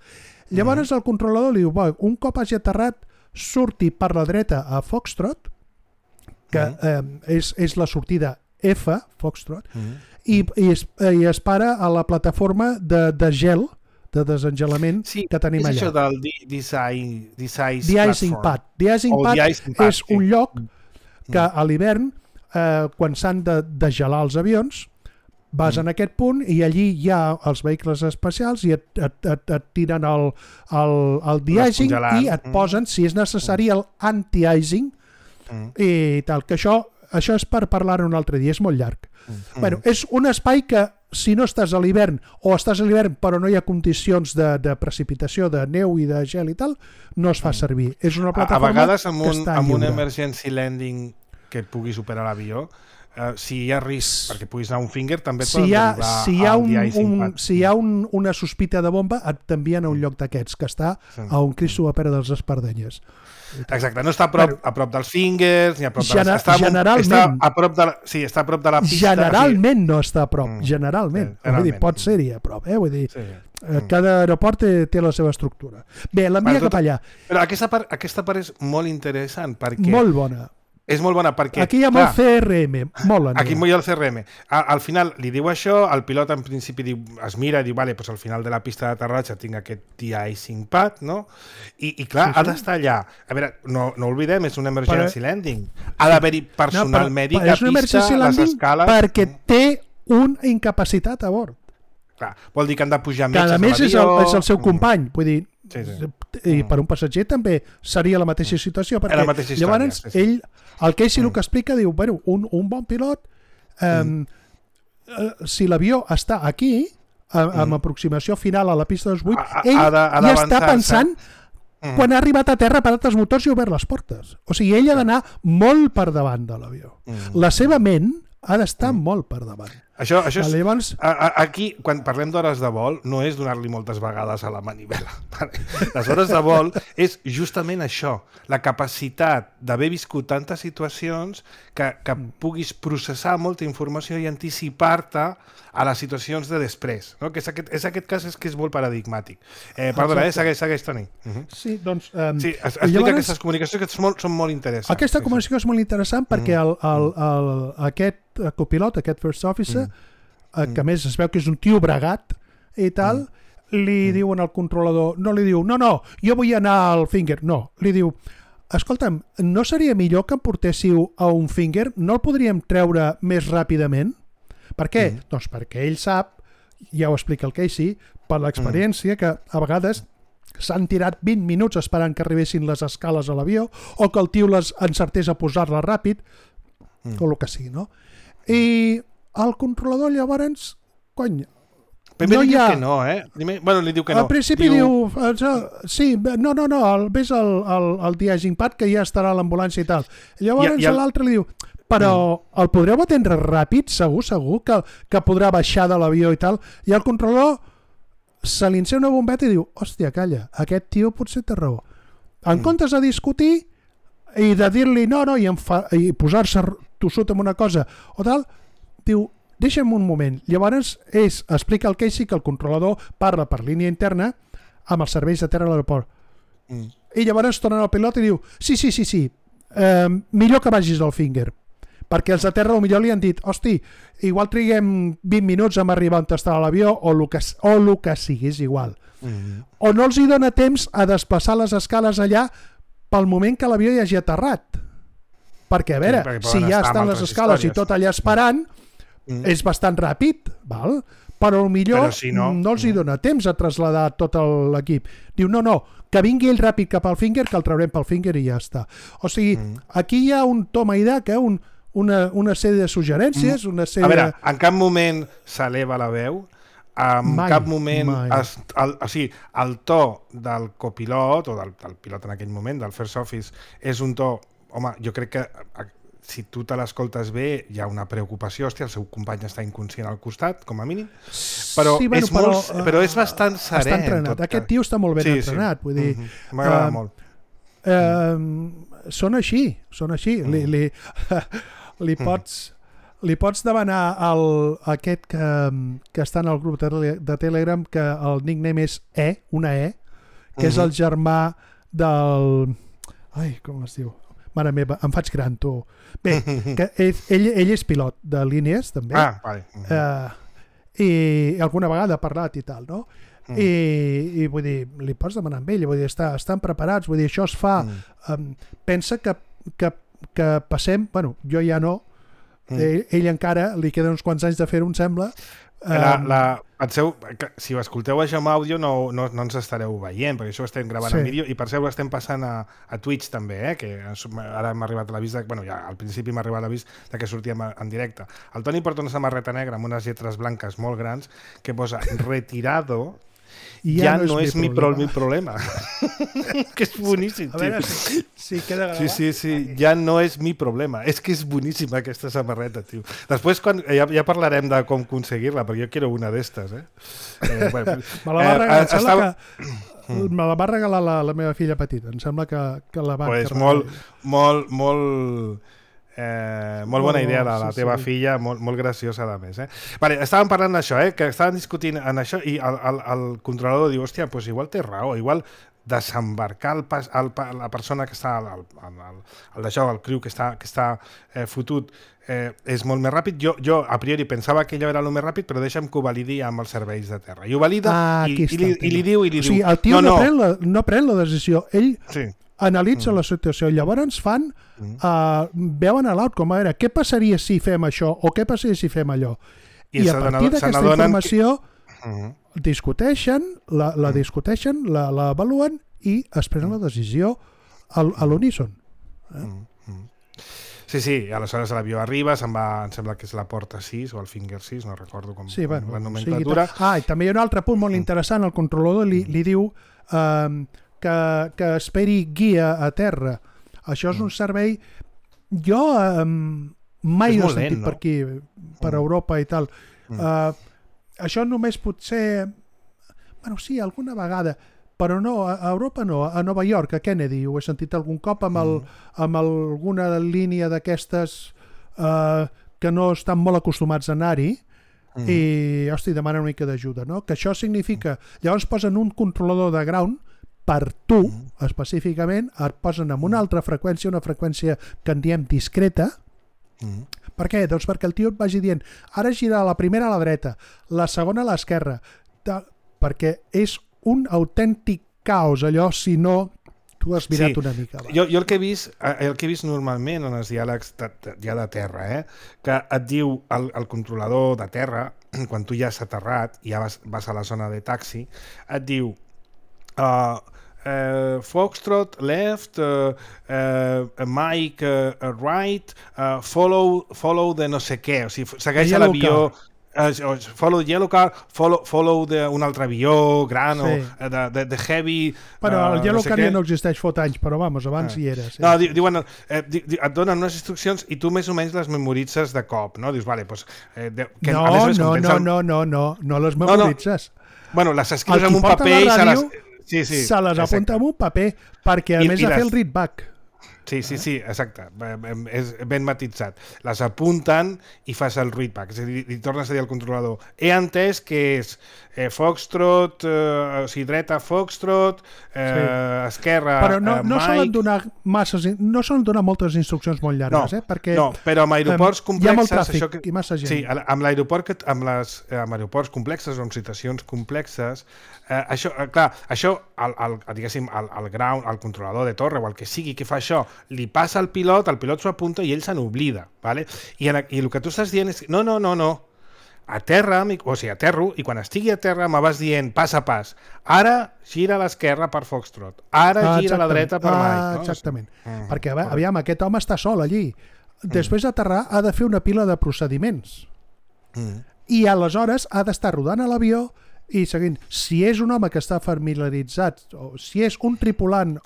Llavors mm. el controlador li diu, un cop hagi aterrat, surti per la dreta a Foxtrot, que mm. eh, és, és la sortida F, Foxtrot, mm. i, i, es, i es para a la plataforma de, de gel, de desengelament sí, que tenim allà. Sí, és això del design, design The Icing Pad. The Icing Pad, icing pad és sí. un lloc que a l'hivern, eh, quan s'han de, de gelar els avions, Vas mm. en aquest punt i allí hi ha els vehicles especials i et, et, et, et tiren el, el, el de-icing i et posen, mm. si és necessari, el anti-icing mm. i tal, que això, això és per parlar un altre dia, és molt llarg. Mm. Bueno, és un espai que si no estàs a l'hivern o estàs a l'hivern però no hi ha condicions de, de precipitació, de neu i de gel i tal, no es fa servir. És una plataforma a, a vegades amb un, que està amb lliure. un emergency landing que et pugui superar l'avió, Uh, si hi ha risc perquè puguis anar a un finger, també et si poden hi ha, derivar si hi ha, al un, de-icing un, pad. si hi ha un, una sospita de bomba, et t'envien a un lloc d'aquests, que està sí. a un Cristo a Pere dels Espardenyes. Exacte, no està a prop, bueno, a prop dels fingers, ni a prop de gener, les... Està, generalment, està a prop de la, sí, està a prop de la pista. Generalment sí. no està a prop, mm. generalment. Sí, vull dir, pot ser-hi a prop, eh? Vull dir, sí. cada aeroport té, té la seva estructura. Bé, l'envia cap allà. Però aquesta part, aquesta part és molt interessant perquè... Molt bona. És molt bona perquè... Aquí hi ha molt C R M, molt bona. Aquí hi ha el C R M. A, al final li diu això, el pilot en principi diu, es mira i diu, vale, pues al final de la pista d'aterratge tinc aquest de-icing pad, no? I, i clar, sí, sí. ha d'estar allà. A veure, no, no oblidem, és un emergency però... landing. Ha d'haver-hi personal no, mèdic a pista, les escales... perquè té un incapacitat a bord. Clar, vol dir que han de pujar metges a l'avió. Cada més és el, és el seu company, vull dir... Sí, sí. I per un passatger també seria la mateixa situació, perquè mateixa història, llavors sí, sí. ell, el Casey mm. el que explica, diu, bueno, un, un bon pilot eh, mm. si l'avió està aquí a, amb mm. aproximació final a la pista dels vuit, ell ha de, ha ja està pensant mm. quan ha arribat a terra, ha parat els motors i ha obert les portes, o sigui, ell ha d'anar molt per davant de l'avió, mm. la seva ment ha d'estar mm. molt per davant. Això, això és, llavors... a, a, aquí, quan parlem d'hores de vol, no és donar-li moltes vegades a la manivela. Les hores de vol és justament això, la capacitat d'haver viscut tantes situacions que, que puguis processar molta informació i anticipar-te a les situacions de després. No? Que és, aquest, és aquest cas és que és molt paradigmàtic. Eh, perdona, eh? segueix, segueix, Toni. Uh -huh. Sí, doncs... Um, sí, explica llavors, aquestes comunicacions que són molt, són molt interessants. Aquesta comunicació és molt interessant perquè el, el, el, aquest copilot, aquest first officer, mm. que a més es veu que és un tio bregat i tal, mm. li mm. diuen al controlador, no li diu, no, no, jo vull anar al finger, no, li diu, escolta'm, no seria millor que em portéssiu a un finger? No el podríem treure més ràpidament? Per què? Mm. Doncs perquè ell sap, ja ho explica el Casey, per l'experiència, mm. que a vegades s'han tirat vint minuts esperant que arribessin les escales a l'avió o que el tio les encertés a posar-la ràpid, mm. o el que sigui, no? I el controlador llavors, cony, Primer no li diu ha... que no, eh? Primer, bueno, li diu que no. Al principi diu... diu sí, no, no, no, el, ves el, el, el de-icing pad que ja estarà a l'ambulància i tal. Llavors el... l'altre li diu, però mm. el podreu atendre ràpid, segur, segur, que, que podrà baixar de l'avió i tal. I el controlador se li encén una bombeta i diu, hòstia, calla, aquest tio potser té raó. En mm. comptes de discutir i de dir-li no, no, i, enfa... i posar-se tossut amb una cosa o tal, diu, deixa'm un moment. Llavors és, explica el Casey que el controlador parla per línia interna amb els serveis de terra a l'aeroport. Mm. I llavors tornen al pilot i diu, sí, sí, sí, sí, eh, millor que vagis al finger. Perquè els de terra millor li han dit, hosti, igual triguem vint minuts a arribar on està l'avió o el que, o el que sigui, és igual. Mm. O no els hi dona temps a desplaçar les escales allà pel moment que l'avió ja hagi aterrat. Perquè, a veure, sí, si ja estan les escales històries. I tot allà esperant, mm. és bastant ràpid, val? Però millor però si no, no els hi dona temps a traslladar tot l'equip. Diu, no, no, que vingui ell ràpid cap al finger, que el traurem pel finger i ja està. O sigui, mm. aquí hi ha un toma i daca, un, una, una sèrie de suggerències, mm. una sèrie... A veure, en cap moment s'eleva la veu, en mai, cap moment es, el, o sigui, el to del copilot o del, del pilot en aquell moment, del first office, és un to, home, jo crec que si tu te l'escoltes bé hi ha una preocupació, hòstia, el seu company està inconscient al costat, com a mínim, però, sí, bueno, és, però, molt, però és bastant serè. Està entrenat, aquest tio està molt ben sí, entrenat, sí. Vull dir... Mm-hmm. M'agrada uh, molt. Uh, són així, són així. Mm. Li, li, li pots... Li pots demanar al aquest que, que està en el grup de, de Telegram que el nickname és E, una E, que uh-huh. és el germà del... Ai, com es diu? Mare meva, em faig gran, tu. Bé, que ell, ell, ell és pilot de línies, també. Ah, vale. Uh-huh. Uh, I alguna vegada ha parlat i tal, no? Uh-huh. I, I vull dir, li pots demanar amb ell, vull dir, està, estan preparats, vull dir, això es fa... Uh-huh. Um, pensa que, que, que passem... Bueno, jo ja no... Mm. Ell, ell encara li queden uns quants anys de fer-ho, em sembla. La, la, penseu, si ho escolteu això amb àudio no, no, no ens estareu veient, perquè això ho estem gravant sí. en vídeo, i per cert ho estem passant a, a Twitch també, eh? Que ara m'ha arribat l'avís de, bueno, ja al principi m'ha arribat l'avís de que sortíem en directe. El Toni porta una samarreta negra amb unes lletres blanques molt grans que posa retirado. I ja, ja no, no és, és mi, pro, mi problema. Que és boníssim, a veure, si, si queda gravat. Sí, sí, sí, ja no és mi problema. És que és boníssima aquesta samarreta, tio. Després quan, ja, ja parlarem de com aconseguir-la, perquè jo quiero una d'estes, eh? eh bueno, me la va regalar, eh, estava... que... me la va regalar la, la meva filla petita. Em sembla que, que la va... Pues molt, molt, molt... Eh, molt bona idea de la teva sí, sí. filla, molt, molt graciosa a més. Eh? Vale, estàvem parlant d'això, eh? Que estàvem discutint en això i el, el, el controlador diu, hòstia, pues igual té raó, igual desembarcar el pas, el, la persona que està, el, el, el, el d'això, el criu que està, que està eh, fotut, eh, és molt més ràpid. Jo, jo a priori pensava que allò era el més ràpid, però deixa'm que ho validi amb els serveis de terra. I ho valida ah, i, i, li, i li diu... I li o sigui, el tio no, no, no. Pren la, no pren la decisió, ell... Sí. Analitza mm. la situació, llavors fan mm. uh, veuen a l'outcome, a veure, què passaria si fem això o què passaria si fem allò i, I a partir d'aquesta informació que... mm. discuteixen la, la mm. discuteixen, la, la avaluen i es prenen la decisió al, a l'uníson. eh? mm. Sí, sí, aleshores l'avió arriba, se'n va, em sembla que és la porta sis o el finger sis, no recordo com, sí, bueno, com la nomenclatura. Sí, ah, i també hi ha un altre punt molt interessant, el controlador li, li diu um, Que, que esperi guia a terra. Això és un servei... Jo um, mai no he sentit lent, no? per aquí, per mm. Europa i tal. Mm. Uh, això només potser... Bueno, sí, alguna vegada, però no, a Europa no, a Nova York, a Kennedy, ho he sentit algun cop amb, el, amb alguna línia d'aquestes uh, que no estan molt acostumats a anar-hi, mm. i, hosti, demanen una mica d'ajuda, no? Que això significa... Llavors posen un controlador de ground per tu, mm. específicament, et posen amb una altra freqüència, una freqüència que en diem discreta. Mm. Per què? Doncs perquè el tio et vagi dient, ara gira la primera a la dreta, la segona a l'esquerra, perquè és un autèntic caos, allò, si no tu has mirat sí. una mica. Jo, jo el que he vist, el que he vist normalment en els diàlegs de, de, ja de terra, eh, que et diu el, el controlador de terra, quan tu ja has aterrat i ja vas, vas a la zona de taxi, et diu Uh, uh, Foxtrot left, uh, uh, Mike uh, right, uh, follow, follow de no sé què, o sigui, segueix l'avió, uh, follow the yellow car, follow, follow de un altre avió gran sí. o de, de, de heavy... Però uh, el yellow no sé car ja no existeix fot anys, però vamos, abans ah. hi era. Sí. No, diuen, eh, di, di, et donen unes instruccions i tu més o menys les memoritzes de cop, no? Dius, vale, pues, eh, de, que, no, a més, no, no, no, no, no, no les memoritzes. No, no. Bueno, les escrius en un paper i se les... Sí, sí, se les apunta en un paper perquè a I, més de les... fer el readback. Sí, sí, sí, exacte. És ben matitzat. Les apunten i fas el readback. És a dir, li tornes a dir al controlador. He entès que és eh, Foxtrot, eh, o sigui, dreta Foxtrot, eh, sí. esquerra però no, no Mike... solen donar masses, no solen donar moltes instruccions molt llargues, no, eh? Perquè no, però amb aeroports um, complexes... Hi ha molt tràfic això que... i massa gent. Sí, amb l'aeroport, amb, les, amb aeroports complexes o amb situacions complexes, eh, això, eh, clar, això, el, el, diguéssim, el, el ground, el controlador de torre o el que sigui que fa això, li passa al pilot, el pilot s'ho apunta i ell se n'oblida, ¿vale? I, en, i el que tu estàs dient és no, no, no, no, a terra, o sigui, aterro, i quan estigui a terra me vas dient pas a pas, ara gira a l'esquerra per Foxtrot, ara ah, gira a la dreta per Mike. Ah, no? Exactament, mm, perquè aviam, aquest home està sol allí, després d'aterrar ha de fer una pila de procediments mm. i aleshores ha d'estar rodant a l'avió i seguint, si és un home que està familiaritzat, o si és un tripulant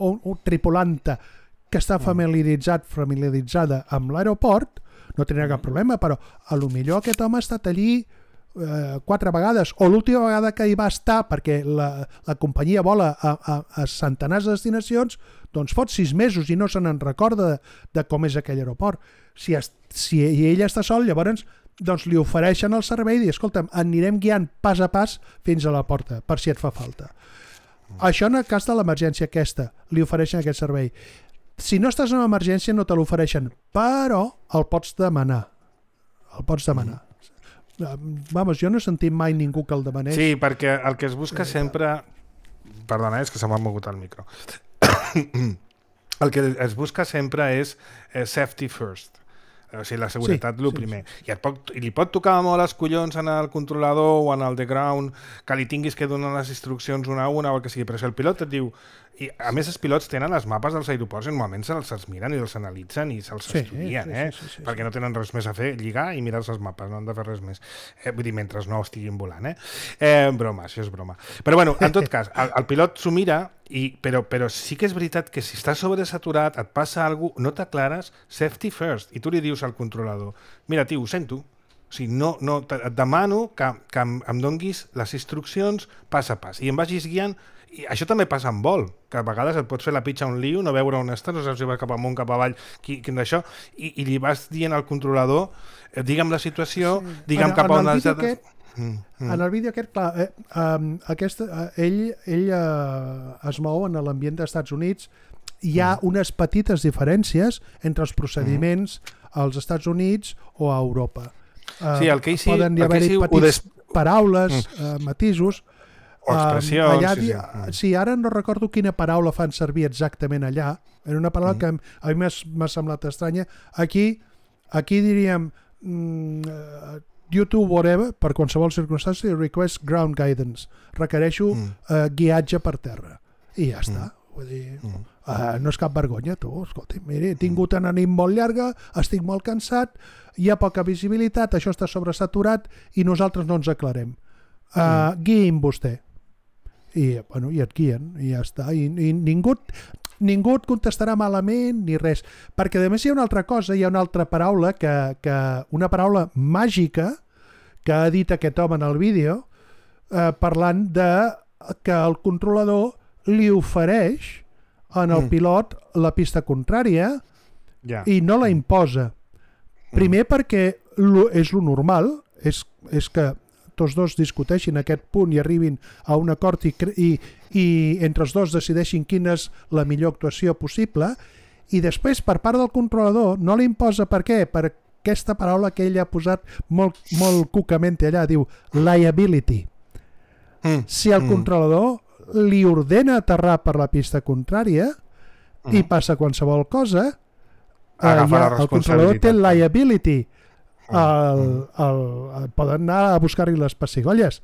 o un tripulanta que està familiaritzat, familiaritzada amb l'aeroport, no tindrà cap problema, però a lo millor aquest home ha estat allí eh, quatre vegades, o l'última vegada que hi va estar, perquè la, la companyia vola a, a, a centenars de destinacions, doncs fot sis mesos i no se n'en recorda de, de com és aquell aeroport. Si, es, si ell està sol, llavors doncs li ofereixen el servei i dir, escolta'm, anirem guiant pas a pas fins a la porta, per si et fa falta. Això en el cas de l'emergència aquesta, li ofereixen aquest servei. Si no estàs en emergència no te l'ofereixen, però el pots demanar. El pots demanar. Mm. Vamos, jo no he sentit mai ningú que el demanés. Sí, perquè el que es busca sempre... Perdona, és que se m'ha mogut el micro. El que es busca sempre és eh, safety first. O sigui, la seguretat, sí, el sí, primer. sí. I, et pot, I li pot tocar molt els collons en el controlador o en el de ground, que li tinguis que donar les instruccions una a una o el que sigui, però si el pilot et diu... I, a més, els pilots tenen les mapes dels aeroports i normalment se'ls se'ls miren i els analitzen i se'ls Sí, estudien, sí, eh? sí, sí, sí, Perquè sí. no tenen res més a fer, lligar i mirar-se els mapes, no han de fer res més. Eh, vull dir, mentre no estiguin volant, eh? eh? Broma, això és broma. Però bueno, en tot cas, el, el pilot s'ho mira, i, però, però sí que és veritat que si estàs sobresaturat, et passa alguna cosa, no t'aclares, safety first, i tu li dius al controlador, mira, tio, ho sento, o sigui, no, no, et demano que, que em, em donguis les instruccions pas a pas i em vagis guiant. I això també passa en vol, que a vegades et pots fer la pitxa a un lío, no veure on estàs, no saps si vas cap amunt, cap avall, qui, quin d'això, i, i li vas dient al controlador, eh, digue'm la situació, sí. digue'm en, cap a on has de... Aquest, mm, mm. En el vídeo aquest, clar, eh, um, aquest, uh, ell, ell uh, es mou en l'ambient dels Estats Units, hi ha mm. unes petites diferències entre els procediments mm. als Estats Units o a Europa. Uh, sí, el Casey... Poden hi haver-hi petits des... paraules, mm. uh, matisos... O expressions. Um, allà, sí, sí. sí, ara no recordo quina paraula fan servir exactament allà. Era una paraula mm. que a mi m'ha semblat estranya. Aquí, aquí diríem mm, uh, YouTube, whatever, per qualsevol circumstància, request ground guidance. Requereixo mm. uh, guiatge per terra. I ja està. Mm. Vull dir, mm. uh, no és cap vergonya, tu. Escolta, mira, he tingut una nit molt llarga, estic molt cansat, hi ha poca visibilitat, això està sobresaturat i nosaltres no ens aclarem. Uh, mm. Guiïm vostè. I, bueno, i et guien, i ja està. I, i ningú, ningú et contestarà malament ni res. Perquè a més hi ha una altra cosa, hi ha una altra paraula, que, que una paraula màgica que ha dit aquest home en el vídeo, eh, parlant de que el controlador li ofereix en el mm. pilot la pista contrària yeah. i no la imposa. Primer mm. perquè lo, és lo normal, és, és que tots dos discuteixin aquest punt i arribin a un acord i, i, i entre els dos decideixin quina és la millor actuació possible, i després per part del controlador no li imposa. Per què? Per aquesta paraula que ell ha posat molt, molt cucamente allà, diu liability. Mm. Si el mm. controlador li ordena aterrar per la pista contrària mm. i passa qualsevol cosa, eh, ja, el controlador té liability. El, el, el, poden anar a buscar-hi les pessigolles.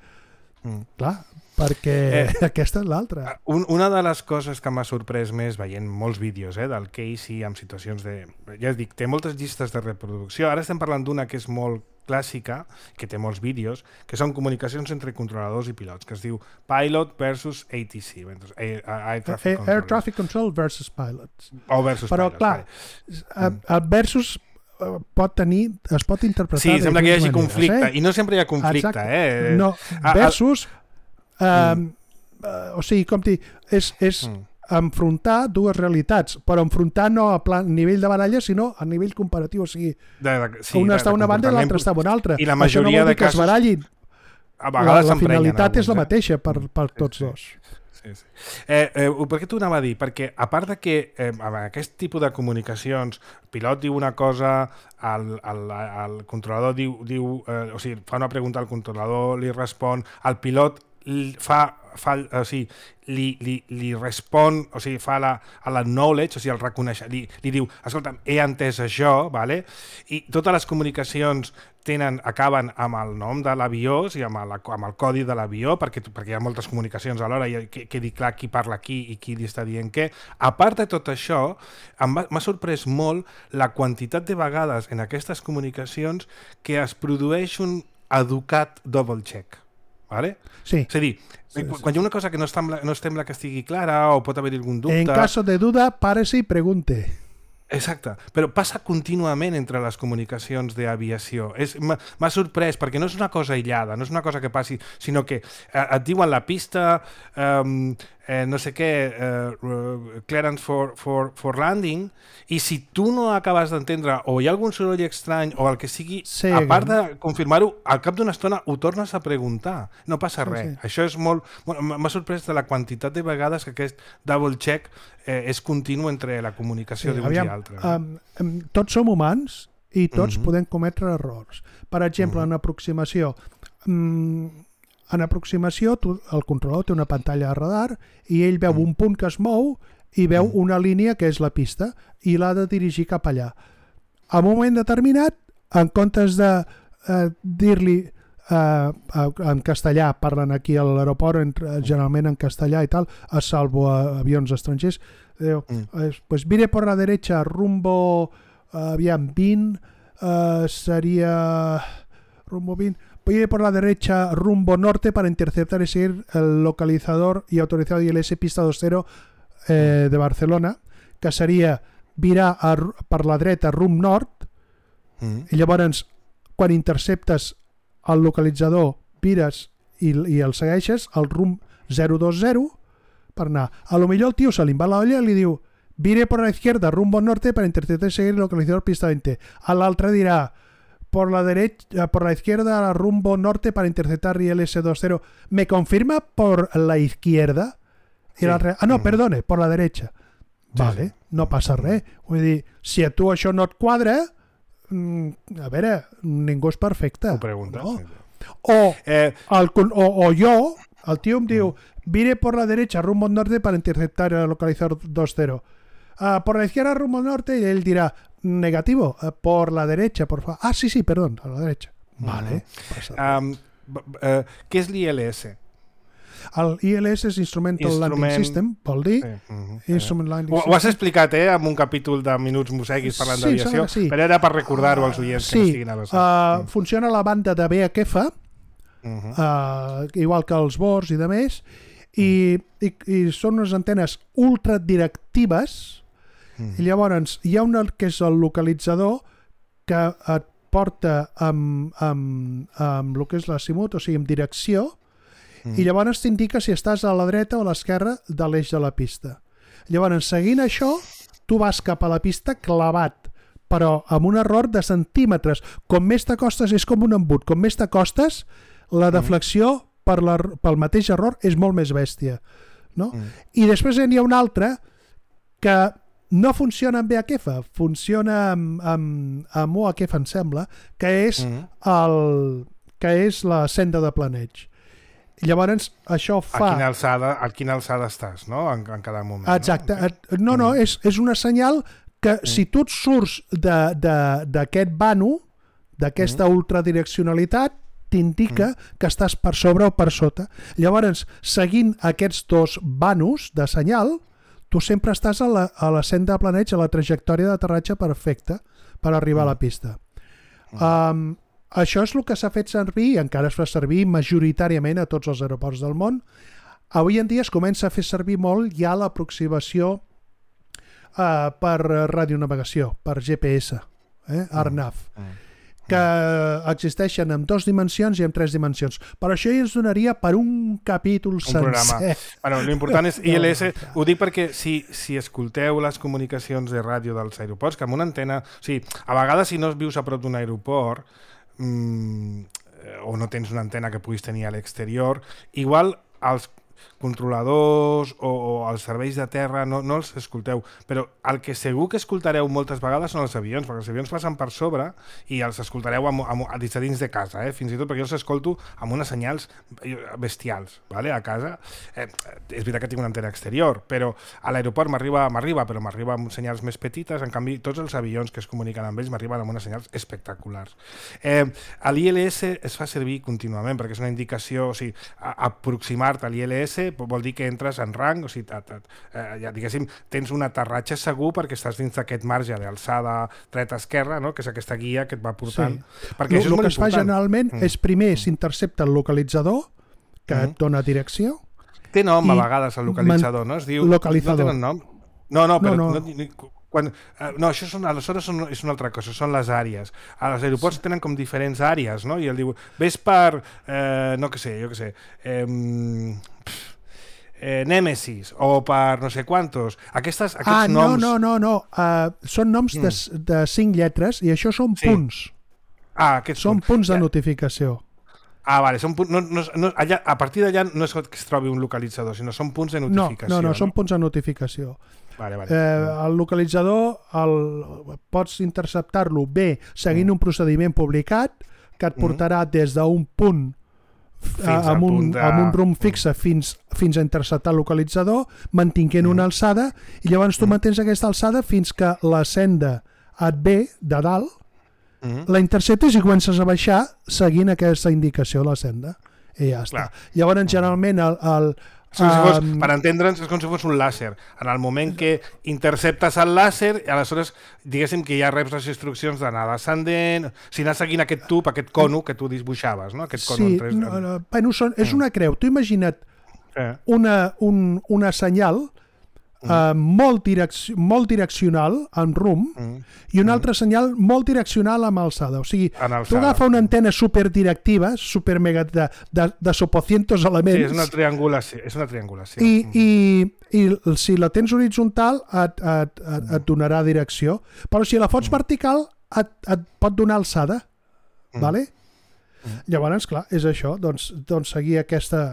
Mm. Clar, perquè eh, aquesta és l'altra. Un, una de les coses que m'ha sorprès més veient molts vídeos eh, del Casey en situacions de... Ja dic, té moltes llistes de reproducció. Ara estem parlant d'una que és molt clàssica, que té molts vídeos, que són comunicacions entre controladors i pilots, que es diu Pilot versus A T C. Air, Air, Traffic, Air Traffic Control versus Pilots. O versus Però, pilots, clar, vale. versus pot tenir, es pot interpretar sí, sembla que hi hagi maneres, conflicte, eh? i no sempre hi ha conflicte. Eh? No, versus a, a, um, uh, o sigui, com dir, és, és mm. enfrontar dues realitats, però enfrontar no a plan, nivell de baralla, sinó a nivell comparatiu, o sigui, de, de, sí, una de, està a una banda i l'altra està a una altra. I la majoria no de casos... Es barallin. A vegades la, la finalitat alguns, és la eh? mateixa per, per tots sí, sí. dos. Sí, sí. Eh, eh, per què t'ho anava a dir? Perquè a part de que eh, amb aquest tipus de comunicacions, el pilot diu una cosa, el, el, el controlador diu, diu eh, o sigui, fa una pregunta al controlador, li respon, el pilot fa, fa o sigui, li, li, li respon, o sigui, fa la, la knowledge, o sigui, el reconeix, li, li diu, escolta, he entès això, vale? I totes les comunicacions tenen, acaben amb el nom de l'avió, o sigui, amb, la, amb el codi de l'avió, perquè, perquè hi ha moltes comunicacions alhora i que, quedi clar qui parla aquí i qui li està dient què. A part de tot això, m'ha sorprès molt la quantitat de vegades en aquestes comunicacions que es produeix un educat double check. Vale? Sí. És a dir, sí, quan sí. hi ha una cosa que no sembla, no sembla que estigui clara o pot haver algun dubte... En caso de duda, párese y pregunte. Exacte, però passa contínuament entre les comunicacions d'aviació. M'ha sorprès, perquè no és una cosa aïllada, no és una cosa que passi, sinó que eh, et diuen la pista, eh, eh, no sé què, eh, clearance for, for, for landing, i si tu no acabes d'entendre, o hi ha algun soroll estrany, o el que sigui, sí, a part de confirmar-ho, al cap d'una estona ho tornes a preguntar. No passa res. Sí, sí. Això és molt... M'ha sorprès de la quantitat de vegades que aquest double check eh, és continu entre la comunicació sí, d'uns i altres. Um, um, tots som humans i tots uh-huh. podem cometre errors. Per exemple, uh-huh. en aproximació... Um, en aproximació, tu, el controlador té una pantalla de radar i ell veu uh-huh. un punt que es mou i veu uh-huh. una línia que és la pista i l'ha de dirigir cap allà. en un moment determinat, en comptes de eh, dir-li Uh, uh, en castellà, parlen aquí a l'aeroport entre, generalment en castellà i tal, a salvo a avions estrangers, diu, mm. eh, pues vire por la derecha rumbo uh, aviam, vint uh, seria rumbo vint, vire por la derecha rumbo norte para interceptar y seguir el localizador y autorizado I L S pista dos cero eh, de Barcelona, que seria virar a, per la dreta rumb nord, mm. i llavors quan interceptes el localitzador, vires i, i el segueixes al rumb zero dos zero per anar. A lo millor el tio se li va la olla i li diu vire por la izquierda rumbo norte para interceptar y seguir el localizador pista veinte. A l'altre dirà por la derecha, por la izquierda rumbo norte para interceptar I L S dos cero. ¿Me confirma por la izquierda? I sí. l'altre, ah no, perdone, por la derecha. Sí, vale, sí. No passa res. Vull dir, si a tu això no et quadra, a veure, ningú és perfecte. Ho preguntes. No? O, eh... el, o, o jo, el tio em diu vire por la derecha rumbo norte para interceptar el localizador dos cero. Uh, por la izquierda rumbo norte, y él dirá negativo, uh, por la derecha, por favor. Ah, sí, sí, perdón, a la derecha. Vale. Uh-huh. um, uh, què és l'I L S? El I L S és Instrumental Instrument... Landing System, vol dir. Sí. Uh-huh. Instrument Landing ho, System. Ho has explicat, eh, en un capítol de Minuts Moseguis parlant sí, d'aviació, sí. però era per recordar-ho als oients uh, que sí. no estiguin avesats. Uh, uh. Funciona a la banda de V H F, uh-huh. uh, igual que els bords i de més, i, i, i són unes antenes ultradirectives, uh-huh. i llavors hi ha un que és el localitzador que et porta amb, amb, amb el que és l'azimut, o sigui, amb direcció, Mm. i llavors t'indica si estàs a la dreta o a l'esquerra de l'eix de la pista. Llavors, seguint això, tu vas cap a la pista clavat, però amb un error de centímetres. Com més t'acostes és com un embut. Com més t'acostes, la deflexió per la, pel mateix error és molt més bèstia. No? Mm. I després n'hi ha un altre que no funciona amb V H F, funciona amb, amb, amb U H F, em sembla, que és, mm. el, que és la senda de planeig. Llavors, això fa... A quina alçada, a quina alçada estàs, no? En, en cada moment. Exacte. No, no, no és, és una senyal que mm. si tu et surts d'aquest vano, d'aquesta mm. ultradireccionalitat, t'indica mm. que estàs per sobre o per sota. Llavors, seguint aquests dos vanos de senyal, tu sempre estàs a la, a la senda de planeig, a la trajectòria d'aterratge perfecta per arribar mm. a la pista. Mm. Um, Això és el que s'ha fet servir i encara es fa servir majoritàriament a tots els aeroports del món. Avui en dia es comença a fer servir molt ja l'aproximació uh, per radionavegació, per G P S, eh? A R N A V, mm. Mm. que existeixen en dues dimensions i en tres dimensions. Per això ja ens donaria per un capítol un sencer. Programa. Bueno, l'important és I L S, ho dic perquè si, si escolteu les comunicacions de ràdio dels aeroports, que amb una antena... O sigui, a vegades si no vius a prop d'un aeroport, Mm, o no tens una antena que puguis tenir a l'exterior, igual els controladors o, o els serveis de terra no, no els escolteu, però el que segur que escoltareu moltes vegades són els avions, perquè els avions passen per sobre i els escoltareu amb, amb, a dins, a dins de casa, eh? Fins i tot perquè jo els escolto amb unes senyals bestials, vale? A casa. Eh, és veritat que tinc una antena exterior, però a l'aeroport m'arriba, m'arriba, però m'arriba amb senyals més petites, en canvi tots els avions que es comuniquen amb ells m'arriben amb unes senyals espectaculars. Eh, l'I L S es fa servir contínuament perquè és una indicació, o sigui, aproximar-te a l'I L S vol dir que entres en rang, o sigui, ta, ta, eh, ja, diguéssim, tens un aterratge segur perquè estàs dins d'aquest marge d'alçada dreta-esquerra, no? Que és aquesta guia que et va portant. Sí. Perquè el, el que es fa generalment mm. és primer s'intercepta el localitzador que mm. et dona direcció. Té nom a vegades el localitzador, no? Es diu... Localitzador. No tenen nom? No, no, però... No, no. No, quan, uh, no això són, aleshores són, és una altra cosa, són les àrees. Els aeroports sí. tenen com diferents àrees, no? I el diu, ves per, eh, no que sé, jo que sé, eh, eh, Nemesis o per no sé quantos. Aquestes, aquests ah, no, noms... no, no, no. Uh, són noms mm. de, de cinc lletres i això són sí. punts. Ah, aquests són punts. punts de ja. notificació. Ah, vale, són punts, no, no, no, allà, a partir d'allà no és que es trobi un localitzador, sinó són punts de notificació. No, no, no, no? són punts de notificació. Vale, vale. Eh, el localitzador el, pots interceptar-lo bé seguint mm. un procediment publicat que et portarà mm. des d'un punt a, amb, un, de... amb un rumb fixe fins, fins a interceptar el localitzador, mantinguent mm. una alçada, i llavors tu mm. mantens aquesta alçada fins que la senda et ve de dalt, mm-hmm. la interceptes i comences a baixar seguint aquesta indicació de la senda. I ja està. Clar. Llavors, generalment, el... el és com si fos, um... per entendre'ns, és com si fos un làser. En el moment que interceptes el làser, aleshores, diguéssim que ja reps les instruccions d'anar descendent, si anar seguint aquest tub, aquest cono que tu dibuixaves, no? Aquest cono sí, en tres... no, no, bueno, són, és una creu. Tu imagina't eh. una, un, una senyal mm. uh, molt, direc molt direccional en rumb mm. i un altre mm. senyal molt direccional amb alçada. O sigui, alçada. Tu agafa una antena superdirectiva, super mega de, de, de sopocientos elements. Sí, és una triangulació. És una triangulació. I, mm. i, i si la tens horitzontal et, et, et, et donarà direcció. Però si la fots mm. vertical et, et pot donar alçada. Mm. Vale? Mm. Llavors, clar, és això. Doncs, doncs seguir aquesta,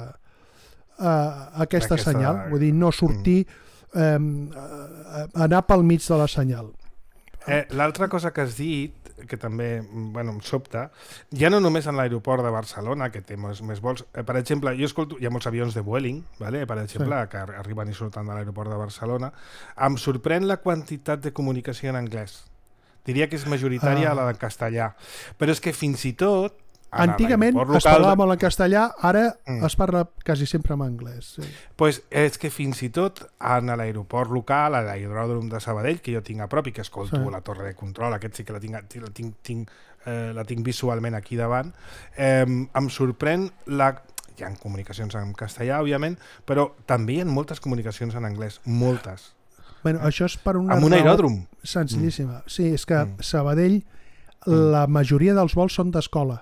uh, aquesta, aquesta senyal. Vull dir, no sortir... Mm. Eh, anar pel mig de la senyal. Eh, L'altra cosa que has dit, que també bueno, em sobta, ja no només en l'aeroport de Barcelona, que té més, més vols, eh, per exemple, jo escolto, hi ha molts avions de Vueling, vale? Per exemple, sí. que arriben i surten de l'aeroport de Barcelona, em sorprèn la quantitat de comunicació en anglès. Diria que és majoritària ah. la en castellà, però és que fins i tot antigament es parlava molt en castellà, ara mm. es parla quasi sempre en anglès. Sí. Pues és que fins i tot en l'aeroport local, a l'aeròdrom de Sabadell, que jo tinc a prop i que escolto sí. la torre de control, aquest sí que la tinc, la tinc, tinc, eh, la tinc visualment aquí davant, eh, em sorprèn la... Hi ha comunicacions en castellà, òbviament, però també hi ha moltes comunicacions en anglès, moltes. Bueno, això és per una amb un aeròdrom. Senzillíssima. Mm. Sí, és que mm. Sabadell, mm. la majoria dels vols són d'escola.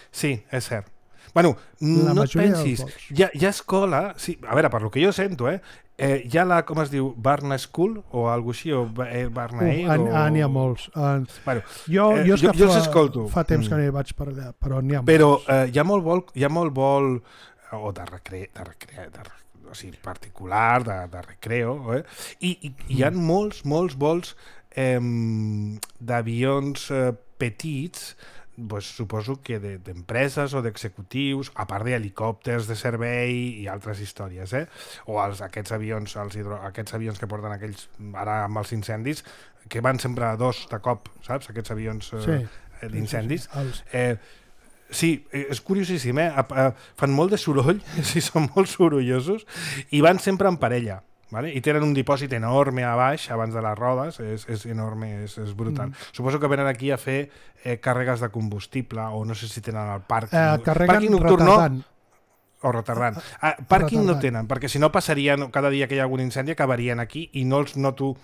Sí, és cert. Bueno, la no et pensis, hi ha, hi ha escola, sí, a veure, per lo que jo sento, eh, eh hi ha la, com es diu, Barna School o alguna així, o eh, Barna Air, uh, o... Ah, n'hi ha molts. Uh, bueno, jo eh, jo, jo, jo fa, s'escolto. Fa temps que no hi vaig per allà, però n'hi ha molts. Però eh, hi ha molt vol, hi ha molt vol o de recre, de recre, de, o sigui, particular, de, de recreo, eh? I, i hi ha molts, molts vols eh, d'avions eh, petits, pues, suposo que d'empreses o d'executius, a part d'helicòpters de servei i altres històries, eh? O els, aquests, avions, els hidro, aquests avions que porten aquells, ara amb els incendis, que van sempre a dos de cop, saps? Aquests avions eh, sí. d'incendis. Sí, sí, sí. Eh, sí, és curiosíssim, eh? Fan molt de soroll, sí, són molt sorollosos, i van sempre en parella. Vale? I tenen un dipòsit enorme a baix, abans de les rodes, és, és enorme, és, és brutal. Mm. Suposo que venen aquí a fer eh, càrregues de combustible, o no sé si tenen el pàrquing. Eh, carreguen retardant. O retardant. Ah, pàrquing no tenen, perquè si no passarien, cada dia que hi ha algun incendi acabarien aquí i no els noto...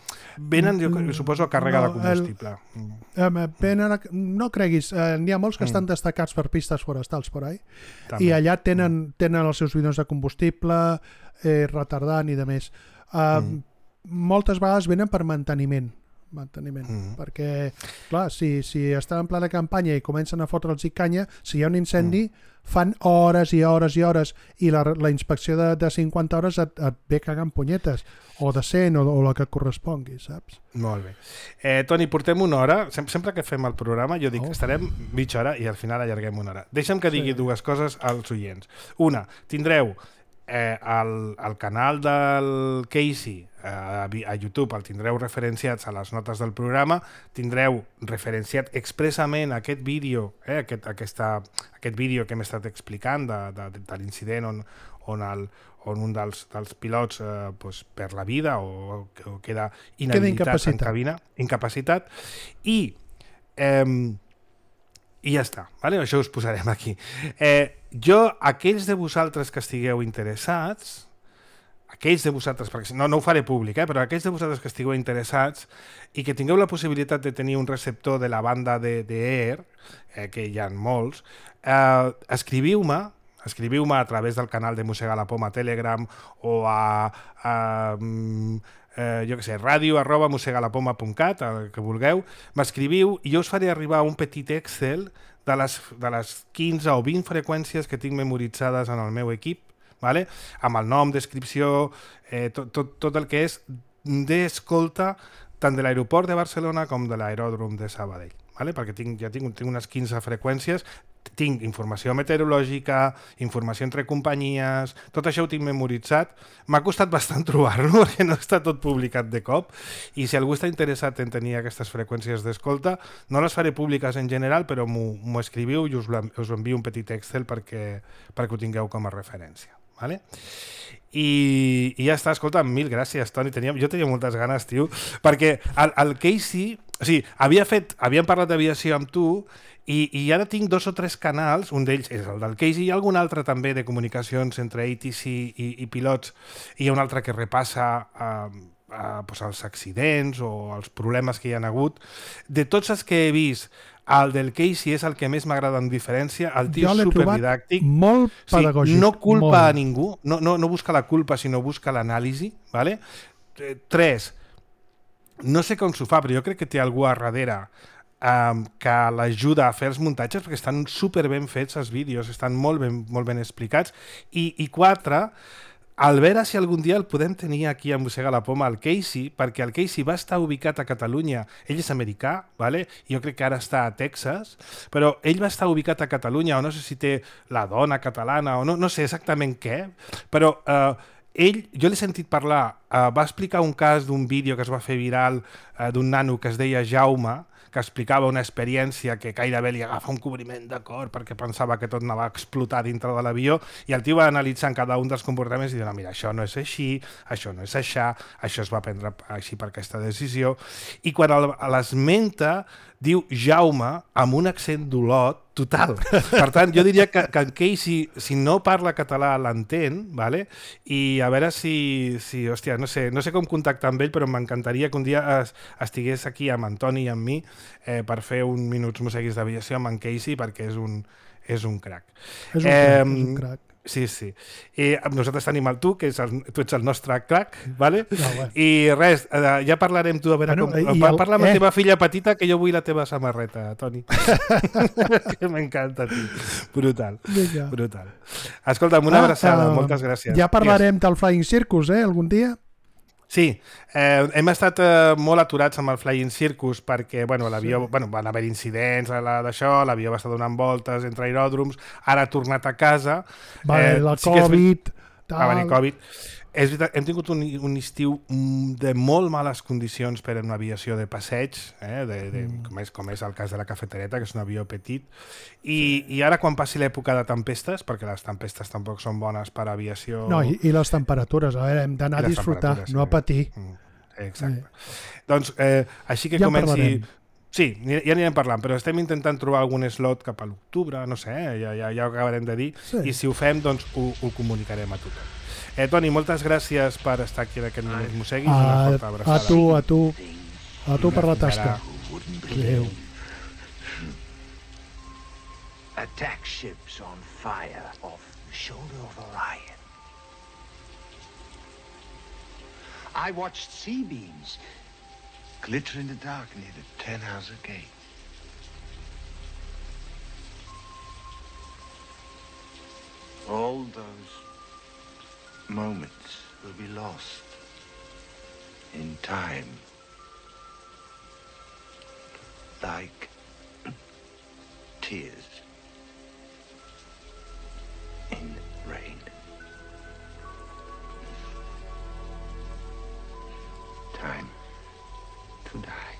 Venen, jo suposo, a càrrega no, de combustible. El, eh, venen a, no creguis, eh, n'hi ha molts que mm. estan destacats per pistes forestals por ahí, també. I allà tenen, tenen els seus bidons de combustible, eh, retardant i de més. Uh, mm. Moltes vegades venen per manteniment, manteniment mm. perquè, clar, si, si estan en plena campanya i comencen a fotre'ls i canya, si hi ha un incendi, mm. fan hores i hores i hores, i la, la inspecció de, de cinquanta hores et, et ve cagant punyetes, o de cent, o, o la que correspongui, saps? Molt bé. Eh, Toni, portem una hora, Sem sempre que fem el programa, jo dic, oh. estarem mitja hora i al final allarguem una hora. Deixa'm que digui sí. dues coses als oients. Una, tindreu Eh, al, al canal del Casey eh, a, a YouTube, el tindreu referenciats a les notes del programa, tindreu referenciat expressament aquest vídeo, eh, aquest, aquesta, aquest vídeo que hem estat explicant de, de, de l'incident on, on, el, on un dels, dels pilots eh, pues, perd la vida o, o queda inhabilitat en cabina, incapacitat, i eh, i ja està, vale? Això us posarem aquí. Eh, jo, aquells de vosaltres que estigueu interessats, aquells de vosaltres, perquè no, no ho faré públic, eh, però aquells de vosaltres que estigueu interessats i que tingueu la possibilitat de tenir un receptor de la banda de, de Air, eh, que hi ha molts, eh, escriviu-me, escriviu-me a través del canal de Mossega la Poma a Telegram o a... a Eh, jo què sé, ràdio arroba mossegalapoma punt cat, el que vulgueu, m'escriviu i jo us faré arribar un petit Excel de les, de les quinze o vint freqüències que tinc memoritzades en el meu equip, vale? Amb el nom, descripció, eh, tot, tot, tot el que és d'escolta tant de l'aeroport de Barcelona com de l'aeròdrom de Sabadell, vale? Perquè tinc, ja tinc, tinc unes quinze freqüències tinc informació meteorològica, informació entre companyies, tot això ho tinc memoritzat. M'ha costat bastant trobar-lo perquè no està tot publicat de cop i si algú està interessat en tenir aquestes freqüències d'escolta, no les faré públiques en general, però m'ho escriviu i us, us envio un petit Excel perquè, perquè ho tingueu com a referència. Vale? I, i ja està, escolta, mil gràcies, Toni. Tenia, jo tenia moltes ganes, tio, perquè el, el Casey, o sigui, havia fet, havíem parlat d'aviació amb tu i, i ara tinc dos o tres canals, un d'ells és el del Casey i algun altre també de comunicacions entre A T C i, i pilots, i hi ha un altre que repassa eh, eh, pues els accidents o els problemes que hi ha hagut. De tots els que he vist, el del Casey és el que més m'agrada en diferència, el tio és superdidàctic, molt pedagògic, sí, no culpa molt. a ningú, no, no, no busca la culpa, sinó busca l'anàlisi, ¿vale? Eh, tres, no sé com s'ho fa, però jo crec que té algú a darrere um, que l'ajuda a fer els muntatges perquè estan super ben fets els vídeos, estan molt ben, molt ben explicats. I, i quatre, al veure si algun dia el podem tenir aquí a Mossega la Poma, el Casey, perquè el Casey va estar ubicat a Catalunya, ell és americà, ¿vale? Jo crec que ara està a Texas, però ell va estar ubicat a Catalunya, o no sé si té la dona catalana, o no, no sé exactament què, però eh, ell, jo l'he sentit parlar, eh, va explicar un cas d'un vídeo que es va fer viral eh, d'un nano que es deia Jaume, que explicava una experiència que gairebé li agafa un cobriment de cor perquè pensava que tot anava a explotar dintre de l'avió i el tio va analitzar en cada un dels comportaments i dir, no, mira, això no és així, això no és així, això es va prendre així per aquesta decisió. I quan l'esmenta, diu Jaume amb un accent d'Olot total. Per tant, jo diria que, que en Casey, si no parla català, l'entén, ¿vale? I a veure si, si hòstia, no sé, no sé com contactar amb ell, però m'encantaria que un dia es, estigués aquí amb Antoni i amb mi eh, per fer un Minuts Mosseguis d'aviació amb en Casey, perquè és un, és un crac. És un crac, eh, és un crac. Sí, sí. I nosaltres tenim el tu, que és el, tu ets el nostre crac, ¿vale? No, bueno. I res, eh, ja parlarem tu, a veure bueno, com... El, parla amb eh? la teva filla petita, que jo vull la teva samarreta, Toni. Que m'encanta, tio. Brutal, Vinga. brutal. Escolta'm, una ah, abraçada, uh, moltes gràcies. Ja parlarem yes. del Flying Circus, eh, algun dia? Sí, eh, hem estat eh, molt aturats amb el Flying Circus perquè bueno, l'avió, sí. bueno, van haver incidents d'això, l'avió va estar donant voltes entre aeròdroms, ara ha tornat a casa. Va haver eh, la sí Covid. Tal. Va venir Covid. És veritat, hem tingut un, un estiu de molt males condicions per a una aviació de passeig, eh, de, de, mm. com, és, com és el cas de la Cafetereta, que és un avió petit, i, i ara quan passi l'època de tempestes, perquè les tempestes tampoc són bones per a aviació... No, i, i les temperatures, a veure, hem d'anar a disfrutar, no a patir. Mm, exacte. Eh. Doncs, eh, així que ja comenci... Sí, ja anirem parlant, però estem intentant trobar algun slot cap a l'octubre, no sé, eh, ja, ja, ja ho acabarem de dir, sí. I si ho fem, doncs ho, ho comunicarem a tothom. Eh, Toni, moltes gràcies per estar aquí en aquest Minuts Mosseguis. A, a tu, a tu. A tu per la tasca. Adéu. Attack ships on fire off the shoulder of Orion. I watched sea beams glitter in the dark near the Tannhauser Gate. All those moments will be lost in time, like tears in rain. Time to die.